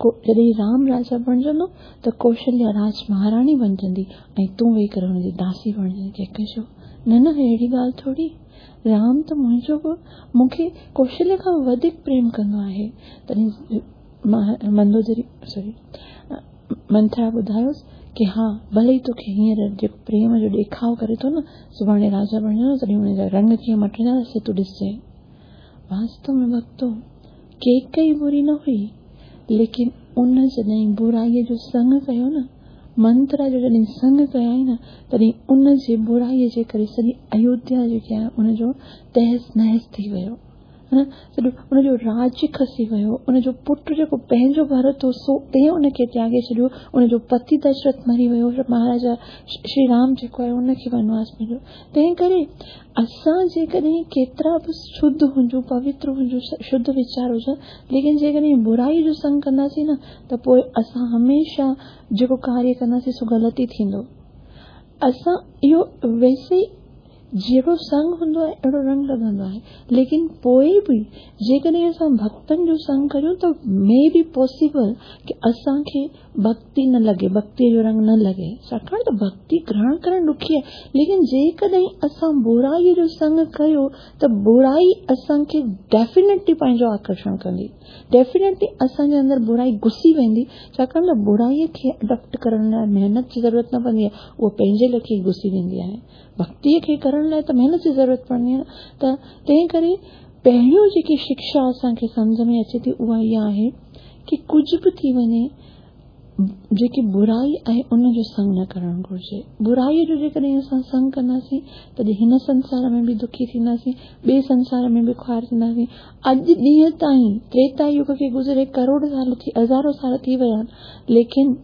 जॾहिं राम राजा बणिजंदो त कौशल्या राज महाराणी बणिजंदी ऐं तूं वेही करे हुनजी दासी बणिजंदी। केकई चयो, न न, अहिड़ी ॻाल्हि थोरी, राम त मुंहिंजो बि मूंखे कौशल्या खां वधीक प्रेम कंदो आहे। तॾहिं मंदोदरी सॉरी मंथरा ॿुधायोसि की हा, भले ई तोखे हींअर जेको प्रेम जो ॾेखाव करे थो न, सुभाणे राजा बणिजंदो तॾहिं हुनजा रंग कीअं मटिजंदा से तूं ॾिसजांइ। वास्तव में भक्तो, केकई बुरी न हुई, लेकिन उन जॾहिं बुराईअ जो संग कयो न, मंत्रा जो जॾहिं संग कयाई न, तॾहिं उन जे बुराईअ जे करे सॼी अयोध्या जेकी आहे उनजो तहस नहस थी वियो, न सॼो उनजो राज्य खसी वियो। उनजो पुटु जेको पंहिंजो भरत हो सो तंहिं उनखे त्यागे छॾियो, उनजो पति दशरथ मरी वियो, महाराजा श्री राम जेको आहे उनखे वनवास मिलियो। तंहिं करे असां जेकॾहिं केतिरा बि शुद्ध हुजूं, पवित्र हुजूं, शुद्ध वीचार हुजनि, लेकिन जेकॾहिं बुराई जो संग कंदासीं न त पोइ असां हमेशा जेको कार्य कंदासीं सो ग़लति थींदो। असां इहो वैसे जहिड़ो संग हूंदो आहे अहिड़ो रंग लॻंदो आहे, लेकिन पोइ बि जेकॾहिं असां भक्तनि जो संग करियूं त मे बी पॉसिबल की असांखे भक्ति न लॻे, भक्तीअ जो रंग न लॻे, छाकाणि त भक्ति ग्रहण करणु ॾुखी आहे। लेकिन जेकॾहिं असां बुराईअ जो संग कयो त बुराई असांखे डेफिनेटली पंहिंजो आकर्षण कंदी, डेफिनेटली असांजे अंदरि बुराई घुसी वेंदी, छाकाणि त बुराईअ खे अडॉप्ट करण लाइ महिनत जी ज़रूरत न पवंदी आहे, उहा पंहिंजे लेखे घुसी वेंदी आहे। भक्तीअ खे करण लाइ त महिनत जी ज़रूरत पवंदी आहे। त तंहिं करे पहिरियों जेकी शिक्षा असांखे सम्झ में अचे थी उहा इहा आहे की कुझु बि थी वञे, जेकी बुराई आहे उनजो संग न करणु घुरिजे। बुराईअ जो जेकॾहिं असां संग कंदासीं तॾहिं हिन संसार में बि दुखी थींदासीं, ॿिए संसार में बि ख़ुआर थींदासीं। अॼु ॾींहं ताईं त्रेता युग खे गुज़रे करोड़ साल थी, हज़ारो साल थी विया आहिनि, लेकिन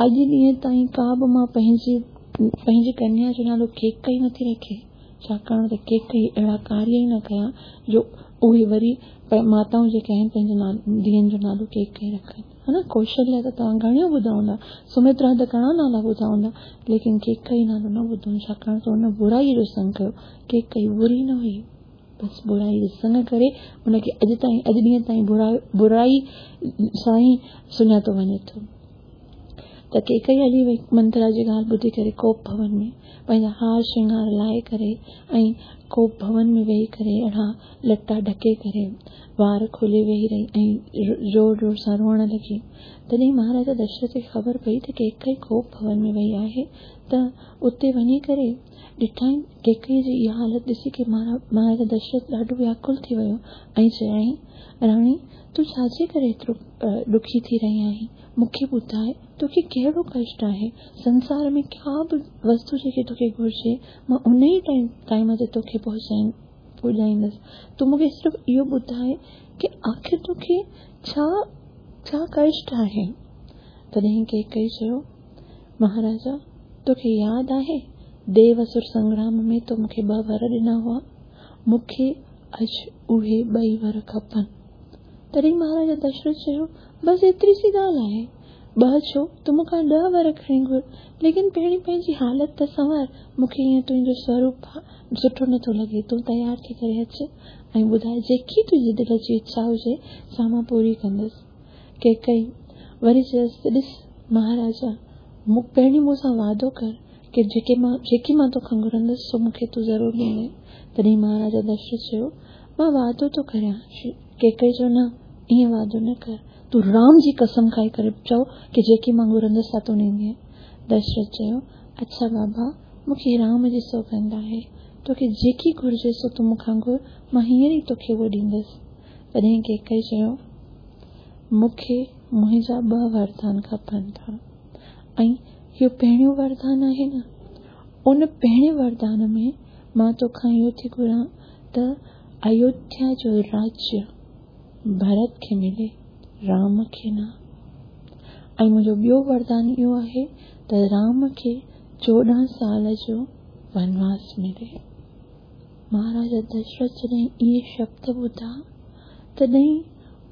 अॼु ॾींहं ताईं का बि मां पंहिंजी पंहिंजी कन्या जो नालो केकई नथी रखे, छाकाणि त केकई अहिड़ा कार्य ई न कया जो उहे वरी माताऊं जेके आहिनि पंहिंजे धीअनि जो नालो केकई रखनि, हा न। कौशल्या त तव्हां घणियूं ॿुधा हूंदा, सुमित्रा त घणा नाला ॿुधा हूंदा, लेकिन केकई नालो न ॿुधो, छाकाणि त हुन बुराईअ जो संग कयो। केकई बुरी न हुई, बसि बुराई जो संग करे हुनखे अॼु ताईं अॼु ॾींहं ताईं बुराई बुराई सां ई सुञातो वञे थो। त केकई हली वई मंत्रा जी ॻाल्हि ॿुधी करे कोप भवन में पंहिंजा हार श्रृंगार लाहे करे ऐं कोप भवन में वेही करे अहिड़ा लटा ढके करे वार खोले वेही रही ऐं ज़ोर ज़ोर सां रोअण लॻी। तॾहिं महाराजा दशरथ खे ख़बर पई त केकई कोप भवन में वई आहे, त उते वञी करे ॾिठई केकई जी इहा हालत ॾिसी की महाराजा दशरथ ॾाढो व्याकुल थी वियो ऐं चयाईं, राणी तूं छाजे करे एतिरो ॾुखी थी रही आहीं? मूंखे ॿुधाए तोखे कहिड़ो कष्ट आहे? संसार में का बि वस्तु जेकी तोखे घुरिजे मां उन ई टाइम टाइम ते तोखे पहुचाई पुॼाईंदसि। तूं मूंखे सिर्फ़ु इहो ॿुधाए की आख़िर तोखे छा छा कष्ट आहे? तॾहिं केकई चयो, महाराजा तोखे यादि आहे देव असुर संग्राम में तो मूंखे ॿ वर ॾिना हुआ, मूंखे अॼु उहे ॿई वर खपनि। तॾहिं महाराजा दशरथ चयो, बसि एतिरी सी ॻाल्हि आहे, ॿ छो, तूं मूंखां ॾह वर खणी घुर, लेकिन पहिरीं पंहिंजी हालत त संवार, मूंखे ईअं तुंहिंजो स्वरूप सुठो नथो लॻे, तूं तयारु थी करे अच ऐं ॿुधाए जेकी तुंहिंजी दिलि जी इच्छा हुजे सा मां पूरी कंदुसि। केकई वरी चयसि, ॾिस महाराजा, मूं पहिरीं मूंसां वादो कर ڪه جيڪي مان جيڪي مان توکان گهرندس سو مون کي تون ضرور ڏيندين. تڏهن مهاراجا دشرٿ چيو، مان واعدو ٿو ڪريان. ڪيڪئي چيو، نه، ائين واعدو نه ڪر، تون رام جي قسم کائي ڪري چئو ڪه جيڪي مان گهرندس سا تون ڏيندين. دشرٿ چيو، اڇا بابا، مون کي رام جي سوڳنڌ آهي، توکي جيڪي گهرجي سو تون مون کان گهر، مان هينئر ئي توکي اهو ڏيندس. تڏهن ڪيڪئي چيو، مون کي منهنجا ٻه وردان کپن ٿا ۽ اهو پهريون وردان آهي نه، ان پهرين وردان ۾ مان توکان اهو ٿي گهران ته ايوڌيا جو راجيه ڀرت کي ملي، رام کي نه. ۽ منهنجو ٻيو وردان اهو آهي ته رام کي چوڏهن سال جو ونواس ملي. مهاراجا دشرٿ جڏهن اهي شبد ٻڌا تڏهن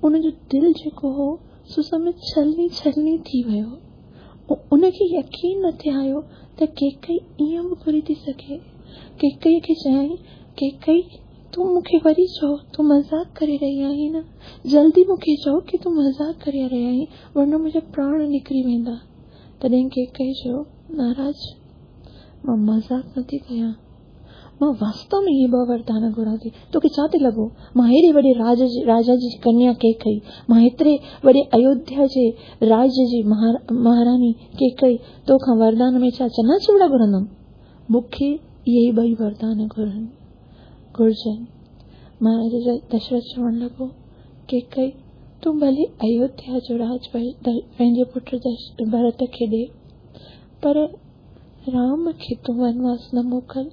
ان جو دل جيڪو هو سو سمجهه ڇلني ڇلني ٿي ويو. ان کي يقين نه ٿي آيو ته ڪيڪئي ائين به گهري ٿي سگهي. ڪيڪئي کي چيائين، ڪيڪئي تون مون کي وري چئو، تون مذاق ڪري رهي آهين نه؟ جلدي مون کي چئو ڪه تون مذاق ڪري رهي آهين، ورنه منهنجا پراڻ نڪري ويندا. تڏهن ڪيڪئي چيو، مهاراج، مان مذاق نٿي ڪيان، مان واستو ۾ اهي ٻه وردان گهران ٿي. توکي ڇا ٿي لڳو، مان هيڏي وڏي راج جي راجا جي ڪنيا ڪيڪئي، مان هيتري وڏي ايوڌيا جي راج جي مهاراني ڪيڪئي توکان وردان ۾ ڇا چنا چوڙا گهرندم؟ مون کي اهي ئي ٻئي وردان گهرن گهرجن. مهاراجا دشرٿ چوڻ لڳو، ڪيڪئي، تون ڀلي ايوڌيا جو راج پنهنجي پٽ ڀرت کي ڏي، پر رام کي تون ونواس نه موڪل،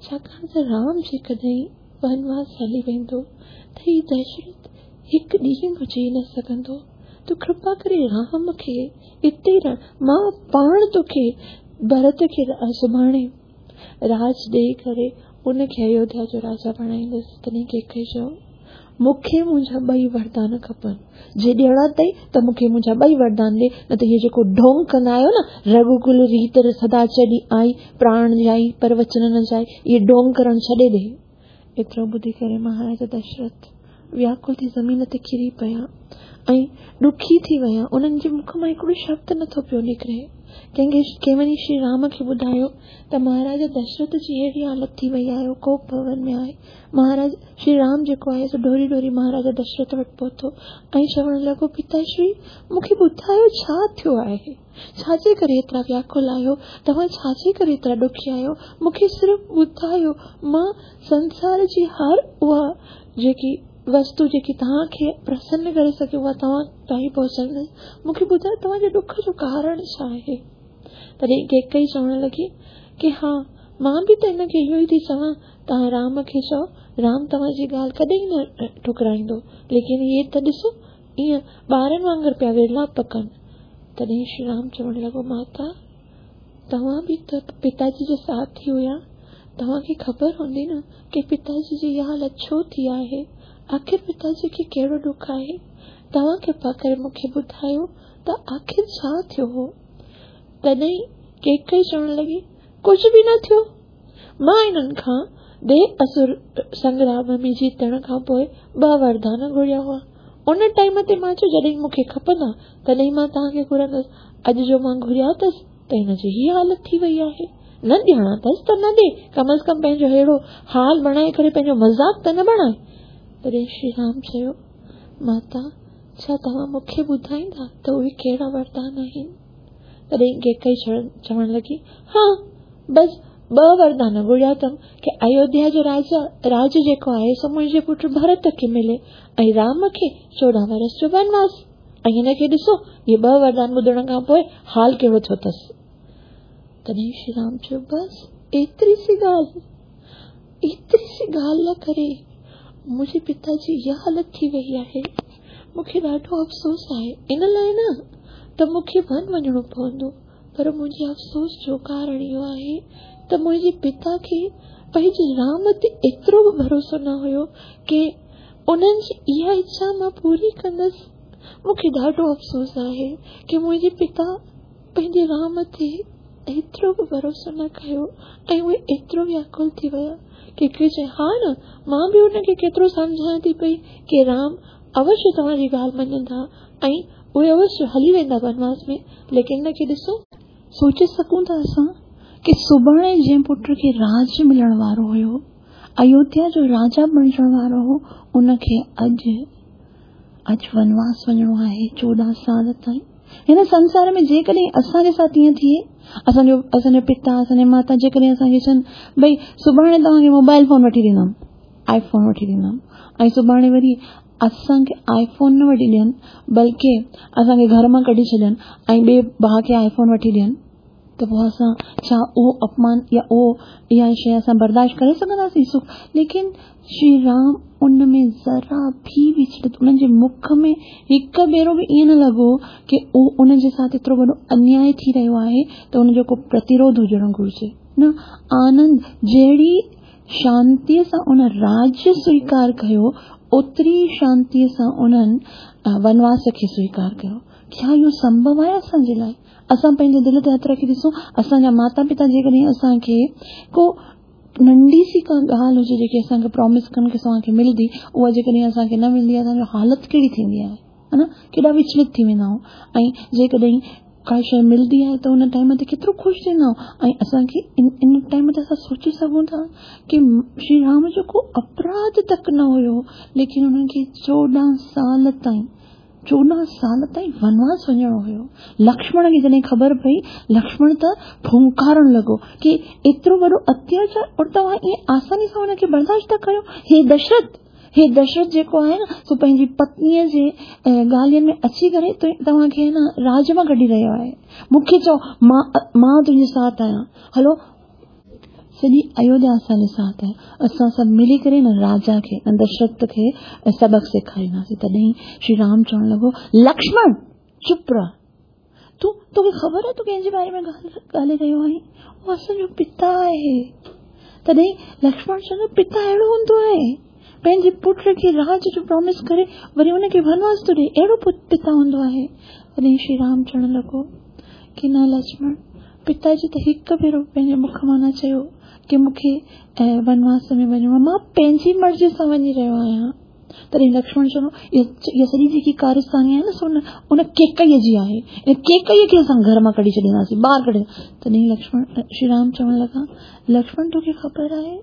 ڇاڪاڻ ته رام جيڪڏهن ونواس هلي ويندو ته هي دشرٿ هڪ ڏينهن به جي نه سگهندو. تون ڪرپا ڪري رام کي اتي رهڻ، مان پاڻ توکي ڀرت کي سڀاڻي راج ڏيئي ڪري ان کي ايوڌيا جو راجا بڻائيندس. تڏهن ڪيڪئي چيو، مون کي منهنجا ٻئي وردان کپن، جي ڏيڻا اٿئي ته مون کي منهنجا ٻئي وردان ڏي، نه ته اهو جيڪو ڍونگ ڪندا آهيو نه، رگهوڪل ريت سدا چلي آئي، پراڻ جائي پر وچن نه جائي، اهي ڍونگ ڪرڻ ڇڏي ڏي. ايترو ٻڌي ڪري مهاراجا دشرٿ وياڪل ٿي زمين تي ڪري پيا ۽ ڏکي ٿي ويا. انهن جي مک مان هڪڙو شبد نٿو پيو نڪري. ڪنهن کي ڪنهن وڃي شري رام کي ٻڌايو ته مهاراجا دشرٿ جي اهڙي حالت ٿي وئي آهي، هو ڪوپ ڀون ۾ آهي. مهاراج شري رام جيڪو آهي سو ڊوڙي ڊوڙي مهاراجا دشرٿ وٽ پهتو ۽ چوڻ لڳو، پتاشري، مون کي ٻڌايو ڇا ٿيو آهي؟ ڇا جي ڪري ايترا وياڪل آهيو؟ توهان ڇا جي ڪري ايترا ڏکي آهيو؟ مون کي صرف ٻڌايو، مان سنسار جي هر اها جيڪي وستو جيڪي توهان کي پرسن ڪري سگهي اها توهان تائين پهچائيندس. مون کي ٻڌايو توهان جي ڏک جو ڪارڻ ڇا آهي؟ تڏهن ڪيڪئي چوڻ لڳي ڪه ها، مان به ته هن کي اهو ئي ٿي چوان، توهان رام کي چئو، رام توهان جي ڳالهه ڪڏهن نه ٺڪرائيندو، ليڪن اهي ته ڏسو ائين ٻارن وانگر پيا ورلاپ ڪن. تڏهن شري رام چوڻ لڳو، ماتا، توهان به ته پتاجي جي ساٿ ئي هيا، توهان کي خبر هوندي نه ڪه پتاجي جي اها حالت ڇو ٿي آهي، آخر پتاجي کي ڪهڙو ڏک آهي؟ توهان ڪرپا ڪري مون کي ٻڌايو ته آخر ڇا ٿيو هو؟ تڏهن ڪيڪئي چوڻ لڳي، ڪجهه به نه ٿيو، مان انهن کان ديو اسر سنگرام ۾ جيتڻ کان پوءِ ٻه وردان گهريا هئا. ان ٽائيم تي مان چيو جڏهن مون کي کپندا تڏهن مان توهان کي گهرندس. اڄ جو مان گهريا اٿس ته هن جي هيءَ حالت ٿي وئي آهي. نه ڏيڻا اٿس ته نه ڏي، ڪم از ڪم پنهنجو اهڙو حال بڻائي ڪري پنهنجو مذاق ته نه بڻائي. تڏهن شري رام چيو، ماتا، ڇا توهان مون کي ٻڌائيندا ته اهي ڪهڙا وردان آهن؟ تڏهن ڪيڪئي چوڻ لڳي، ها، بس ٻه وردان گهريا اٿم ڪه ايوڌيا جو راجا راج جيڪو آهي سو منهنجي پٽ ڀرت کي ملي ۽ رام کي چوڏهن ورس جو ونواس. ۽ هن کي ڏسو، اهي ٻه وردان ٻڌڻ کان پوءِ حال ڪهڙو ٿيو اٿس. تڏهن شري رام چيو، بس ايتري سي ڳالهه، ايتري سي ڳالهه لاءِ ڪري منهنجي پتا جي اها حالت ٿي وئي آهي. مون کي ڏاڍو افسوس آهي، ان لاءِ نه ته مون کي ون وڃڻو پوندو، پر منهنجي افسوس جو ڪارڻ اهو آهي ته منهنجي پتا کي پنهنجي رام تي ايترو به ڀروسو نه هيو ڪه انهن جي اها اڇا مان پوري ڪندس. مون کي ڏاڍو افسوس آهي ڪه منهنجي پتا پنهنجي رام تي ايترو به ڀروسو نه ڪيو ۽ اهي ايترو وياڪل ٿي ويا. ڪيڪئي چئي، ها نه، مان به هن کي ڪيترو سمجهايان ٿي پئي ڪه رام اوشيه توهان جي ڳالهه مڃندا ۽ اهي اوشيه هلي ويندا ونواس ۾، ليڪن هن کي ڏسو. سوچي سگهون ٿا اسان की सुभाणे जंहिं पुट खे राज मिलण वारो हुयो, अयोध्या जो राजा बणिजण वारो हो, उनखे अॼु अॼु वनवास वञिणो आहे चोॾहं साल ताईं। हिन संसार में जेकॾहिं असांजे साथ ईअं थिए, असांजो असांजो पिता असांजी माता जेकॾहिं असांखे चवनि भई सुभाणे तव्हांखे मोबाइल फ़ोन वठी ॾींदमि, आईफोन वठी ॾींदमि, ऐं सुभाणे वरी असांखे आईफोन न वठी ॾियनि बल्कि असांखे घर मां कढी छॾनि ऐं ॿिए भाउ खे आईफोन वठी ॾियनि, त पोइ असां छा उहो अपमान या उहो इहा शइ असां बर्दाश्त करे सघंदासीं? सुख। लेकिन श्री राम उन में ज़रा बि विचलित, उन्हनि जे मुख में हिकु भेरो बि ईअं न लॻो की उहो उन जे साथ एतिरो वॾो अन्याय थी रहियो आहे त उनजो को प्रतिरोध हुजणु घुरिजे। न, आनंद जहिड़ी शांतीअ सां उन राज्य स्वीकार कयो, ओतिरी शांतीअ सां उन्हनि वनवास खे स्वीकार कयो। छा इहो संभव आहे असांजे लाइ? असां पंहिंजे दिलि ते हथु रखी ॾिसूं, असांजा माता पिता जेकॾहिं असांखे को नंढी सी का ॻाल्हि हुजे जेकी असांखे प्रॉमिस कनि की तव्हांखे मिलंदी, उहा जेकॾहिं असांखे न मिलंदी आहे, असांजी हालत कहिड़ी थींदी आहे, हा न, केॾा विचलित थी वेंदा आहियूं। ऐं जेकॾहिं का शइ मिलंदी आहे त उन टाइम ते केतिरो ख़ुशि थींदा आहियूं। ऐं असांखे इन इन टाइम ते असां सोची सघूं था की श्री राम जो को अपराध तक न हुयो, लेकिन उन्हनि खे चोॾहं साल ताईं चोॾहं साल ताईं वनवास वञिणो हुयो। लक्ष्मण खे जॾहिं ख़बर पई, लक्ष्मण त फुंकारणु लॻो की एतिरो वॾो अत्याचार और तव्हां ईअं आसानी सां हुनखे बर्दाश्त था कयो। हे दशरथ, हे दशरथ जेको आहे न सो पंहिंजी पत्नीअ जे ॻाल्हियुनि में अची करे तव्हांखे न राज मां कढी रहियो आहे। मूंखे चओ, मां मां तुंहिंजे साथ आहियां, हलो सॼी अयोध्या असांजे साथ आहे, असां सभु मिली करे न राजा खे न दशरथ खे सबक़ सेखारींदासीं। तॾहिं श्री राम चवणु लॻो, लक्ष्मण चुप रह, तूं तोखे ख़बर आहे तूं कंहिंजे बारे में ॻाल्हाए रहियो आहीं? उहो असांजो पिता आहे। तॾहिं लक्ष्मण चवंदो, पिता अहिड़ो हूंदो आहे, पंहिंजे पुट खे राज जो प्रॉमिस करे वरी उनखे वनवास थो ॾिए, अहिड़ो पिता हूंदो आहे। तॾहिं श्री राम चवणु लॻो की न लक्ष्मण, पिताजी त हिकु भेरो पंहिंजे मुख मां न चयो की मूंखे वनवास में वञिणो आहे, मां पंहिंजी मर्ज़ी सां वञी रहियो आहियां। तॾहिं लक्ष्मण चवंदो, इहा सॼी जेकी कारस्तानी आहे न सो उन केकईअ जी आहे, इन केकईअ खे असां घर मां कढी छॾींदासीं, ॿाहिरि कढी। तॾहिं लक्ष्मण श्री राम चवणु लॻा, लक्ष्मण तोखे ख़बर आहे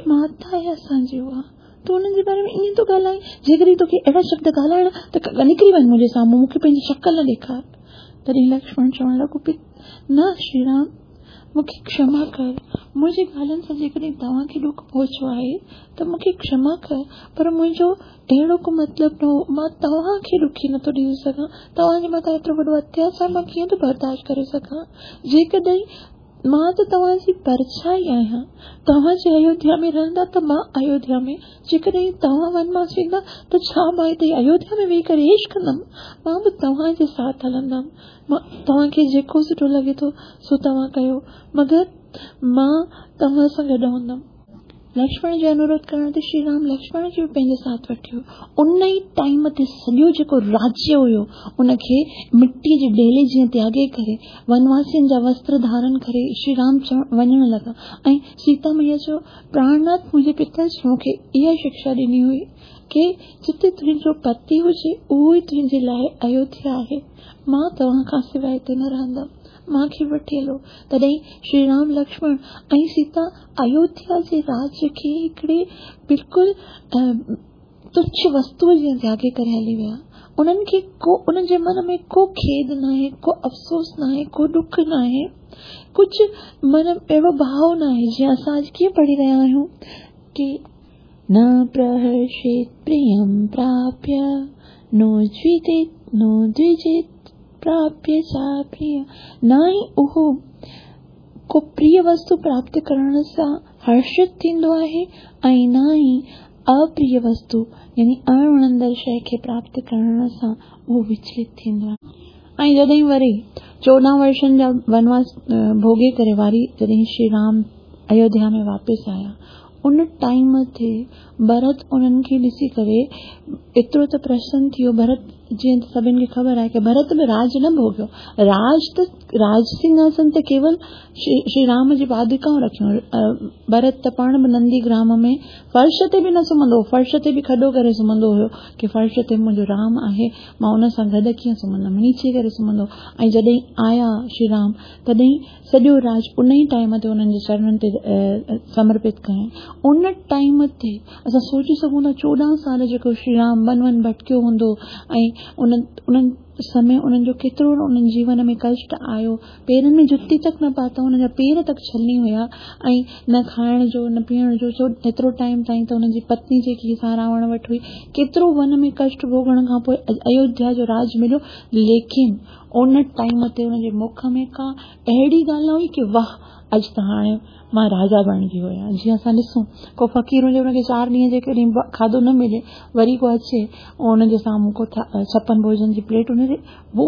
माता आहे असांजी उहा, तूं उन्हनि जे बारे में ईअं थो ॻाल्हाईं, जेकॾहिं तोखे अहिड़ा शब्द ॻाल्हाइण त निकिरी वञ मुंहिंजे साम्हूं, मूंखे पंहिंजी शक्ल न ॾेखार। तॾहिं लक्ष्मण चवणु लॻो, न श्री राम मूंखे क्षमा कर, मुंहिंजी ॻाल्हियुनि सां जेकॾहिं तव्हांखे ॾुख पहुचो आहे त मूंखे क्षमा कर, पर मुंहिंजो अहिड़ो को मतिलबु न हो, मां तव्हांखे ॾुखी नथो ॾेई सघां, तव्हांजे मथां एतिरो वॾो अत्याचार मां कीअं थो बर्दाश्त करे सघां। जेकॾहिं मां त तव्हांजी परछाई आहियां, तव्हां जे अयोध्या में रहंदा त मां अयोध्या में, जेकॾहिं तव्हां वनवास वेंदा त छा मां हिते अयोध्या में वेही करे ऐश कंदमि? मां बि तव्हांजे साथ हलंदमि, मां तव्हांखे जेको सुठो लॻे थो सो तव्हां कयो, मगर मां तव्हां सां गॾु हूंदमि। लक्ष्मण जे अनुरोध करण ते श्री राम लक्ष्मण खे बि पंहिंजे साथ वठी वियो। उन ई टाइम ते सॼो जेको राज्य हुयो उनखे मिटीअ जे ढेले जीअं त्यागे करे वनवासियुनि जा वस्त्र धारण करे श्री राम वञणु लॻा। ऐं सीता मैया चयो, प्राणनाथ मुंहिंजे पिता मूंखे इहा शिक्षा ॾिनी हुई की जिते तुंहिंजो पति हुजे उहो ई तुंहिंजे लाइ अयोध्या आहे, मां तव्हां खां सवाइ हिते न रहंदमि, मूंखे वठी हलो। तॾहिं श्री राम लक्ष्मण ऐं सीता अयोध्या जे राज्य खे हिकिड़े बिल्कुलु तुच्छ वस्तूअ जीअं त्यागे करे हली विया। उन्हनि खे को उन्हनि जे मन में को खेद न आहे, को अफ़सोस न आहे, को ॾुख न आहे, कुझु मन अहिड़ो भाव न आहे। जीअं असां अॼु कीअं पढ़ी रहिया आहियूं की न प्रहर्षेत् प्रियं प्राप्य नो द्विजेत् नो द्विजेत् प्राप्य चा प्रिय, न ई उहो को प्रिय वस्तु प्राप्त करण सां हर्षित थींदो आहे ऐं न ई अप्रिय वस्तु यानी अणवणंदड़ शइ खे प्राप्त करण सां उहो विचलित थींदो आहे। ऐं जॾहिं वरी चोॾहं वर्षनि जा वनवास भोगे करे वारी जॾहिं श्री राम अयोध्या में वापसि आया, उन टाइम ते भरत उन्हनि खे ॾिसी करे एतिरो त प्रसन्न थी वियो। भरत जीअं त सभिनी खे ख़बर आहे की भरत बि राज न भोॻियो। राज त राज सिंहासन ते केवल श्री राम जी पादुकाऊं रखियूं। भरत त पाण बि नंदीग्राम में फर्श ते बि न सुम्हंदो हो, फर्श ते बि खॾो करे सुम्हंदो हुयो की फर्श ते मुंहिंजो राम आहे, मां उन सां गॾु कीअं सुम्हंदमि, नीचे करे सुम्हंदो। ऐं जॾहिं आया श्री राम तॾहिं सॼो राज उन ई टाइम ते उन्हनि जे चरणनि ते समर्पित कयईं। उन टाइम ते असां सोची सघूं था चोॾहं साल जेको श्री राम वन वन भटकियो हूंदो ऐं उन उन्हनि समय उन्हनि जो केतिरो उन्हनि जीवन में कष्ट आयो, पेरनि में जुती तक न पाता, हुननि जा पेर तक छलनी हुया ऐं न खाइण जो न पीअण जो, छो एतिरो टाइम ताईं त हुननि जी पत्नी जेकी सा रावण वटि हुई, केतिरो वन में कष्ट भोगण खां पोइ अयोध्या जो राज मिलियो। लेकिन उन टाइम ते हुनजे मुख में का अहिड़ी ॻाल्हि न हुई की वाह अॼु त हाणे मां राजा बणिजी वियो आहियां। जीअं असां ॾिसूं को फ़क़ीर हुजे हुनखे चारि ॾींहं जेकॾहिं खाधो न मिले, वरी को अचे हुनजे साम्हूं को छप्पन भोजन जी प्लेट हुनजे वो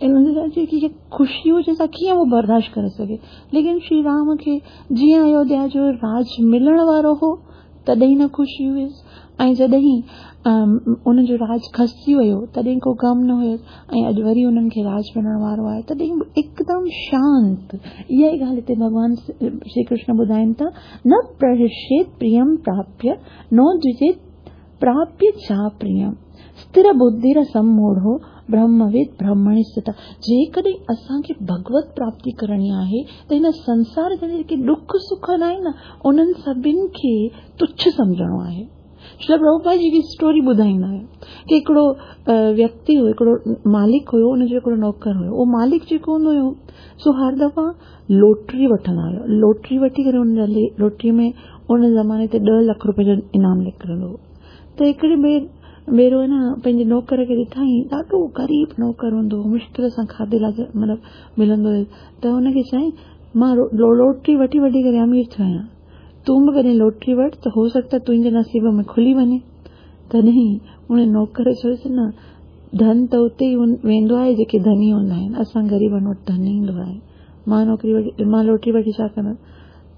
जेकी ख़ुशी हुजे सा कीअं उहो बर्दाश्त करे सघे। लेकिन श्री राम खे जीअं अयोध्या जो राज मिलण वारो हो तॾहिं न ख़ुशी हुयसि, ऐं जॾहिं उन जो राज खसिजी वियो तॾहिं को ग़म न हुयुसि, ऐं अॼु वरी उन्हनि खे राज मिलण वारो आहे तॾहिं एकदम शांत। इहा ई ॻाल्हि हिते भॻवान श्री कृष्ण ॿुधाइनि था, न प्रहर्षेत प्रियम प्राप्य नो द्विजेत प्राप्य चा प्रियम स्थिर बुद्धिर सम्मूढ़ो ब्रह्मविद ब्रह्मणि स्थित। जेकॾहिं असांखे भगवत प्राप्ति करणी आहे त हिन संसार जा जेके ॾुख सुख आहिनि न उन्हनि सभिनी खे तुच्छ सम्झणो आहे। श्रील प्रभुपाद जी स्टोरी ॿुधाईंदा आहिनि की हिकिड़ो व्यक्ति हुयो, हिकिड़ो मालिक हुयो, हुनजो हिकिड़ो नौकर हुयो। उहो मालिक जेको हूंदो हुयो सो हर दफ़ा लोटरी वठंदा हुया। लोटरी वठी करे हुन लोटरी में उन ज़माने ते ॾह लख रुपए जो इनाम निकिरंदो हो। त हिकिड़ी भेर भेरो है न पंहिंजे नौकर खे ॾिठाईं, ॾाढो ग़रीब नौकर हूंदो हो, मुश्किल सां खाधे लाइ मतिलबु मिलंदो हुयो। त हुनखे चयईं मां लोटरी वठी वठी करे अमीर थियो आहियां, तूं बि कॾहिं लोटरी वठि त हो सकता तुंहिंजे नसीब में खुली वञे। तॾहिं उन नौकर चयोसि न धन त उते ई वेंदो आहे जेके धनी हूंदा आहिनि, असां ग़रीबनि वटि धन ईंदो आहे, मां नौकरी वठी मां लोटरी वठी छा कंदुसि।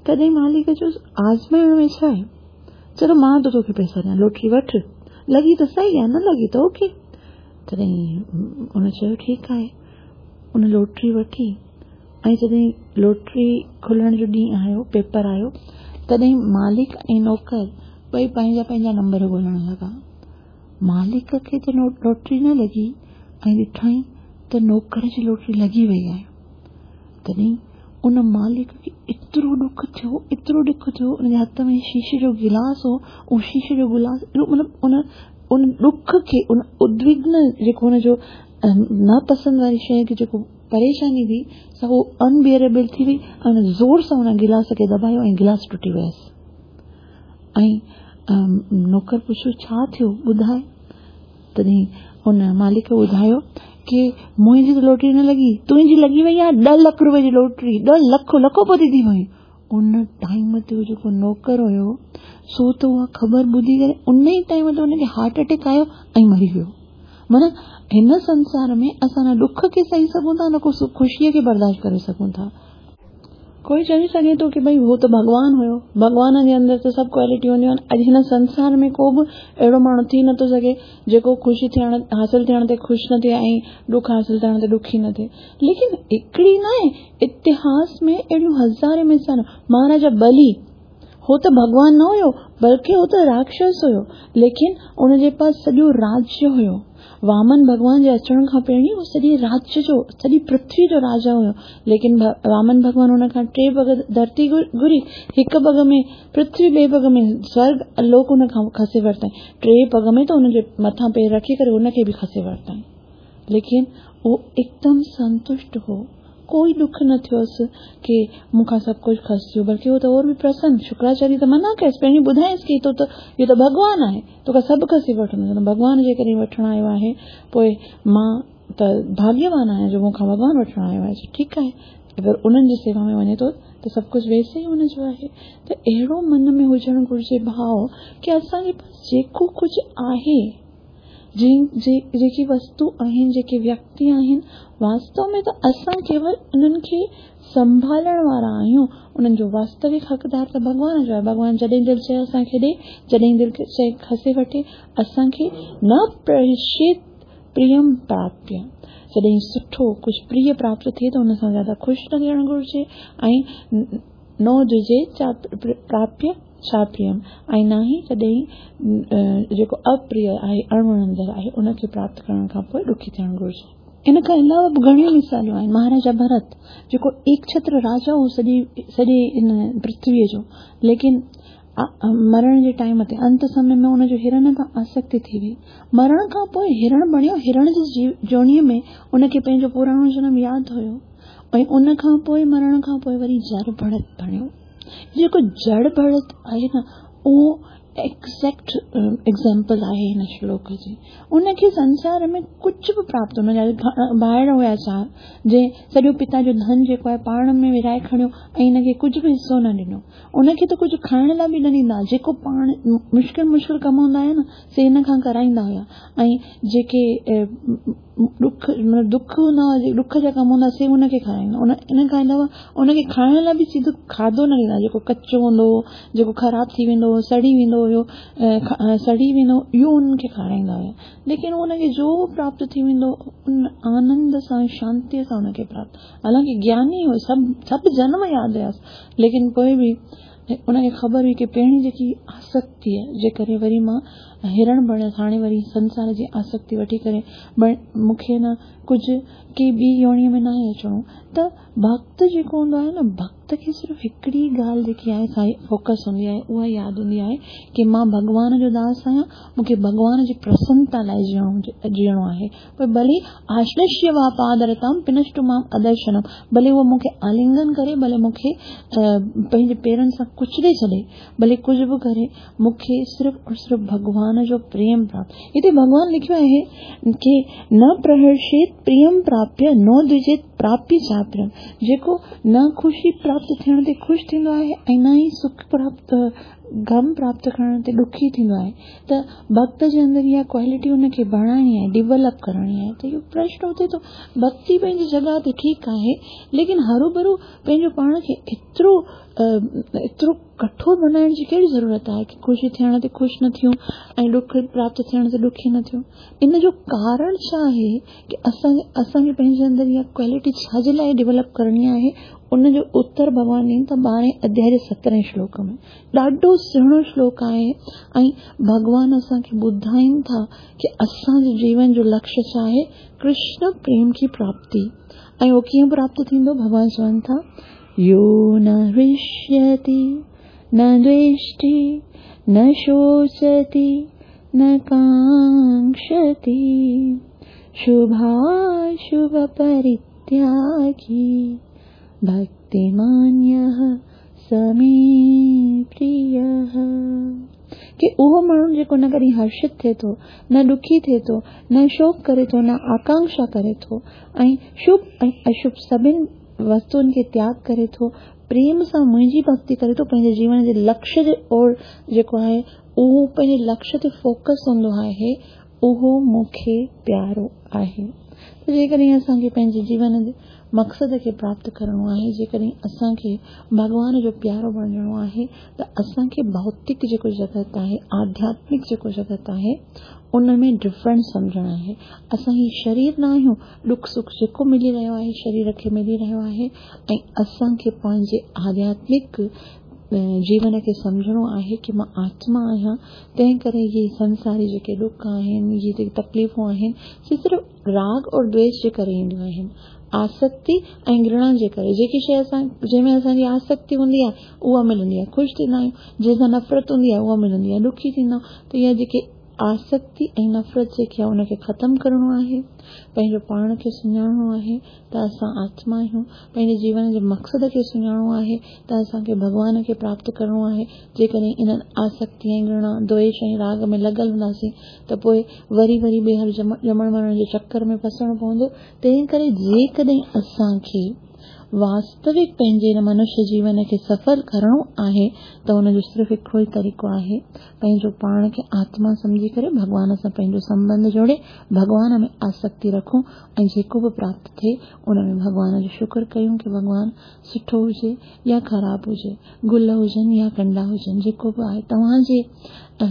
तॾहिं मालिक चयोसि आज़माइण में छा आहे, चलो मां थो तोखे पैसा ॾियां, लोटरी वठि, लॻी त सही आहे, न लॻी त ओके। तॾहिं उन चयो ठीकु आहे। उन लोटरी वठी ऐं जॾहिं लोटरी खुलण जो ॾींहुं आयो, पेपर आयो, तॾहिं मालिक ऐं नौकर ॿई पंहिंजा पंहिंजा नंबर ॻोल्हण लॻा। मालिक खे त लोटरी न लॻी ऐं ॾिठाईं त नौकर जी लोटरी लॻी वई आहे। तॾहिं उन मालिक खे एतिरो ॾुख थियो, एतिरो ॾुख थियो, उनजे हथ में शीशे जो गिलास हो, उहो शीशे जो गिलास एॾो मतिलबु उन उन ॾुख खे, उन उद्विग्न जेको हुनजो नापसंदि वारी शइ खे जेको परेशानी हुई सा उहो अनबियरेबल थी वई ऐं हुन ज़ोर सां हुन गिलास खे दॿायो ऐं गिलास टुटी वियसि। ऐं नौकर पुछियो छा थियो ॿुधाए। तॾहिं उन मालिक ॿुधायो की मुंहिंजी त लोटरी न लॻी, तुंहिंजी लॻी वई आहे ॾह लख रुपए जी लोटरी, ॾह लख लखोपति थी वई। उन टाइम ते जेको नौकर हुयो सो त उहा ख़बर ॿुधी करे उन ई टाइम ते हुनखे हार्ट अटैक आयो ऐं मरी वियो। माना हिन संसार में असां न ॾुख खे सही सघूं था न को ख़ुशीअ खे बर्दाश्त करे सघूं था। कोई चई सघे थो की भई उहो त भॻवान हुयो, भॻवान जे अंदरि त सभु क्वालिटी हूंदियूं आहिनि। अॼु हिन संसार में को बि अहिड़ो माण्हू थी नथो सघे जेको ख़ुशी थियण हासिल थियण ते ख़ुशि न थिए ऐं ॾुख हासिल थियण ते ॾुखी न थिए। लेकिन हिकिड़ी न आहे, इतिहास में अहिड़ियूं हज़ारे मिसाल। महाराजा बलि हो त भॻवान न हुयो, बल्कि हो त राक्षस हुयो, लेकिन उनजे पास सॼो राज्य हुयो। वामन भॻवान जे अचण खां पहिरीं उहो सॼे राज्य जो, सॼी पृथ्वी जो राजा हुयो। लेकिन वामन भॻवान हुन खां टे पग धरती घुरी, हिकु पग में पृथ्वी, ॿिए पग में स्वर्ग लोक हुन खां खसे वरिताईं, टे पग में त हुनजे मथां पेर रखी करे हुनखे बि खसे वरिताईं। लेकिन उहो एकदम संतुष्ट हो, कोई दुख न थियोसि की मूंखां सभु कुझु खसियो, बल्कि उहो त और बि प्रसन्न। शुक्राचार्य त मना कयसि, पहिरीं ॿुधायसि की तो त इहो त भॻवान आहे, तोखां सभु खसी वठंदो, भॻवान जेकॾहिं वठण आयो आहे पोइ मां त भाग्यवान आहियां जो मूंखां भॻवान वठण आयो आहे, ठीकु आहे। अगरि उन्हनि जी सेवा में वञे थो त सभु कुझु वैसे ई हुनजो आहे। त अहिड़ो मन में हुजणु घुरिजे भाव की असांजे पास जेको कुझु आहे, जेकी वस्तु आहिनि, जेके व्यक्ति आहिनि, वास्तव में त असां केवल उन्हनि खे संभालण वारा आहियूं। उन्हनि जो वास्तविक हक़दार त भॻवान जो आहे। भॻवान जॾहिं दिलि चए असांखे ॾे, जॾहिं दिलि चए खसे वठे। असांखे न प्रहर्षित प्रियम प्राप्य। जॾहिं सुठो कुझु प्रिय प्राप्त थिए त उन सां ज़्यादा ख़ुशि न थियणु घुरिजे ऐं नो द्विजेत प्राप्य चाप्रियम ऐं न ई कॾहिं जेको अप्रिय आहे, अणवणंदड़ आहे, उनखे प्राप्त करण खां पोइ ॾुखी थियणु घुरिजे। इन खां अलावा बि घणियूं मिसालूं आहिनि। महाराजा भरत जेको एक छत्र राजा हो सॼी सॼे इन पृथ्वीअ जो, लेकिन मरण जे टाइम ते अंत समय में उनजो हिरण सां आसक्ति थी वई। मरण खां पोइ हिरण बणियो, हिरण जी जोणीअ में उनखे पंहिंजो पुराणो जनम यादि हुयो ऐं उन खां पोइ मरण खां पोइ वरी जड़ भरत बणियो। जेको जड़ भरत आहे न, उहो एग्ज़ैक्ट एग्ज़ाम्पल आहे हिन श्लोक जी। उनखे संसार में कुझु बि प्राप्त, हुनजा भाइर हुया चारि, जंहिं सॼो पिता जो धन जेको आहे पाण में विराए खणियो ऐं हिनखे कुझु बि हिसो न ॾिनो। उनखे त कुझु खाइण लाइ बि न ॾींदा, जेको पाण मुश्किल मुश्किल कम हूंदा आहिनि से हिन खां कराईंदा हुया ऐं जेके ॾुख मतिलबु दुख हूंदा हुआ, ॾुख जा कम हूंदा से हुनखे खाराईंदा। उन इन खां अलावा उनखे खाइण लाइ बि सिधो खाधो न ॾींदा, जेको कचो हूंदो हो, जेको ख़राबु थी वेंदो हो, सड़ी वेंदो हुयो, सड़ी वेंदो, इहो उन्हनि खे खाराईंदा हुया। लेकिन उनखे जो प्राप्त थी वेंदो उन आनंद सां, शांतीअ सां उनखे प्राप्त। हालांकि ज्ञानी हो, सभु सभु जनम यादि हुयासि, लेकिन पोइ बि उनखे ख़बर हुई की पहिरीं जेकी आसक्ति आहे जे करे वरी मां हिरण बणियसि, हाणे वरी संसार जी आसक्ति वठी करे मूंखे न कुझु के ॿी योणीअ में न आहे अचिणो। त भक्त जेको हूंदो आहे न, भक्त खे सिर्फ़ु हिकिड़ी ॻाल्हि जेकी आहे सा फोकस हूंदी आहे, उहा यादि हूंदी आहे की मां भॻवान जो दास आहियां, मूंखे भॻवान जी प्रसन्नता लाइ जीअणो जीअणो आहे। पर भले आश्लिष्य वा पादरताम पिनष्टु माम अदर्शनम, भले उहो मूंखे आलिंगन करे, भले मूंखे पंहिंजे पेरनि सां कुचले छॾे, भले कुझु बि करे, मूंखे सिर्फ़ु और सिर्फ़ु भॻवान जो प्रेम प्राप्त। हिते भॻवान लिखियो आहे की न प्रहर्षेत प्रियम प्राप्य नो द्विजेत प्राप्य चाप्रियम। जेको न ख़ुशी प्राप्त थियण ते ख़ुशि थींदो आहे ऐं न ई सुख प्राप्त गम प्राप्त करण ते ॾुखी थींदो आहे। त भक्त जे अंदरि इहा क्वालिटी हुनखे बणाइणी आहे, डेवलप करणी आहे। त इहो प्रश्न उथे थो, भक्ति पंहिंजी जॻह ते ठीकु आहे, लेकिन हरू भरू पंहिंजो पाण खे एतिरो एतिरो कठोर बनाइण जी कहिड़ी ज़रूरत आहे की ख़ुशी थियण ते ख़ुशि न थियूं ऐं ॾुख प्राप्त थियण ते ॾुखी न थियूं। इन जो कारण छा आहे की असां असांखे पंहिंजे अंदरि इहा क्वालिटी छाजे लाइ डेवलप करणी आहे, उनजो उत्तर भॻवान ॾियनि था ॿारहें अध्याय जे सतरहें श्लोक में। ॾाढो सुहिणो श्लोक आहे ऐं भॻवान असांखे ॿुधाइनि था की असांजे जीवन जो लक्ष्य छा आहे, कृष्ण प्रेम की प्राप्ति। ऐं उहो कीअं प्राप्त थींदो? भॻवान चवनि था, यो न हृष्यति न द्वेष्टि न शोचति न कांक्षति शुभाशुभ परित्यागी भक्तिमान्यः स मे प्रियः। की उहो माण्हू जेको न कॾहिं हर्षित थिए थो, न ॾुखी थिए थो, न शोक करे थो, न आकांक्षा करे थो ऐं शुभ ऐं अशुभ सभिनि वस्तुनि खे त्याग करे थो, प्रेम सां मुंहिंजी भक्ति करे थो, पंहिंजे जीवन जे लक्ष्य जे ओर जेको आहे उहो पंहिंजे लक्ष्य ते फोकस हूंदो आहे, उहो मूंखे प्यारो आहे। त जेकॾहिं असांखे पंहिंजे जीवन जे मक़सद खे प्राप्त करिणो आहे, जेकॾहिं असांखे भॻवान जो प्यारो बणिजणो आहे, त असांखे भौतिक जेको जगत आहे, आध्यात्मिक जेको जगत आहे, उन में डिफरेंस सम्झणु आहे। असां हीउ शरीर न आहियूं, ॾुख सुख जेको मिली रहियो आहे शरीर खे मिली रहियो आहे ऐं असांखे पंहिंजे आध्यात्मिक जीवन खे सम्झणो आहे की मां आत्मा आहियां, तंहिं करे इहे संसारी जेके ॾुख आहिनि, इहे जेके तकलीफ़ूं आहिनि, से सिर्फ़ु राग और द्वेष जे करे ईंदियूं आहिनि, आसक्ति ऐं घृणा जे करे। जेकी शइ असां जंहिंमें असांजी आसक्ति हूंदी आहे उहा मिलंदी आहे, ख़ुशि थींदा आहियूं, जंहिंसां नफ़रत हूंदी आहे उहा मिलंदी आहे, ॾुखी थींदा आहियूं। त इहा जेके आसक्ति ऐं नफ़रत जेकी आहे उनखे ख़तमु करिणो आहे, पंहिंजो पाण खे सुञाणणो आहे त असां आत्मा आहियूं, पंहिंजे जीवन जे मक़सद खे सुञाणणो आहे त असांखे भॻवान खे प्राप्त करिणो आहे। जेकॾहिं इन्हनि आसक्ति ऐं घृणा, द्वेष ऐं राग में लॻल हूंदासीं त पोइ वरी वरी ॿीहर ॼमण मरण जे चक्कर में फसणो पवंदो। तंहिं करे जेकॾहिं असांखे वास्तविक पंहिंजे हिन मनुष्य जीवन खे सफल करिणो आहे त हुनजो सिर्फ़ु हिकिड़ो ई तरीक़ो आहे, पंहिंजो पाण खे आत्मा सम्झी करे भॻवान सां पंहिंजो संबंध जोड़े भॻवान में आसक्ति रखूं ऐं जेको बि प्राप्त थिए उन में भॻवान जो शुक्र कयूं की भॻवान सुठो हुजे या ख़राबु हुजे, गुल हुजनि या कंडा हुजनि, जेको बि आहे तव्हांजे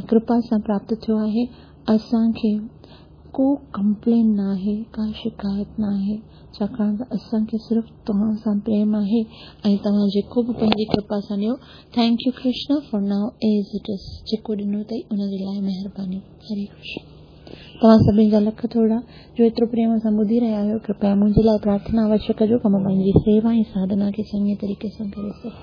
कृपा सां प्राप्त थियो आहे। असांखे ڪو ڪمپلين ناهي، ڪا شڪايت ناهي، ڇاڪاڻ ته اسان کي صرف توهان سان پريم آهي ۽ توهان جيڪو به پنهنجي ڪرپا سان ڏيو. Thank you Krishna for now as it is, جيڪو ڏنو اٿئي ان جي لاء مهرباني. هري ڪرشن. توهان سڀني جا لک ٿورا جو ايترو پريم سان ٻڌي رهيا آهيو. ڪرپيا منهنجي لاءِ پرارٿنا اوشيه ڪجو ته مان پنهنجي سيوا ۽ ساڌنا کي چڱي طريقي سان ڪري سگهان.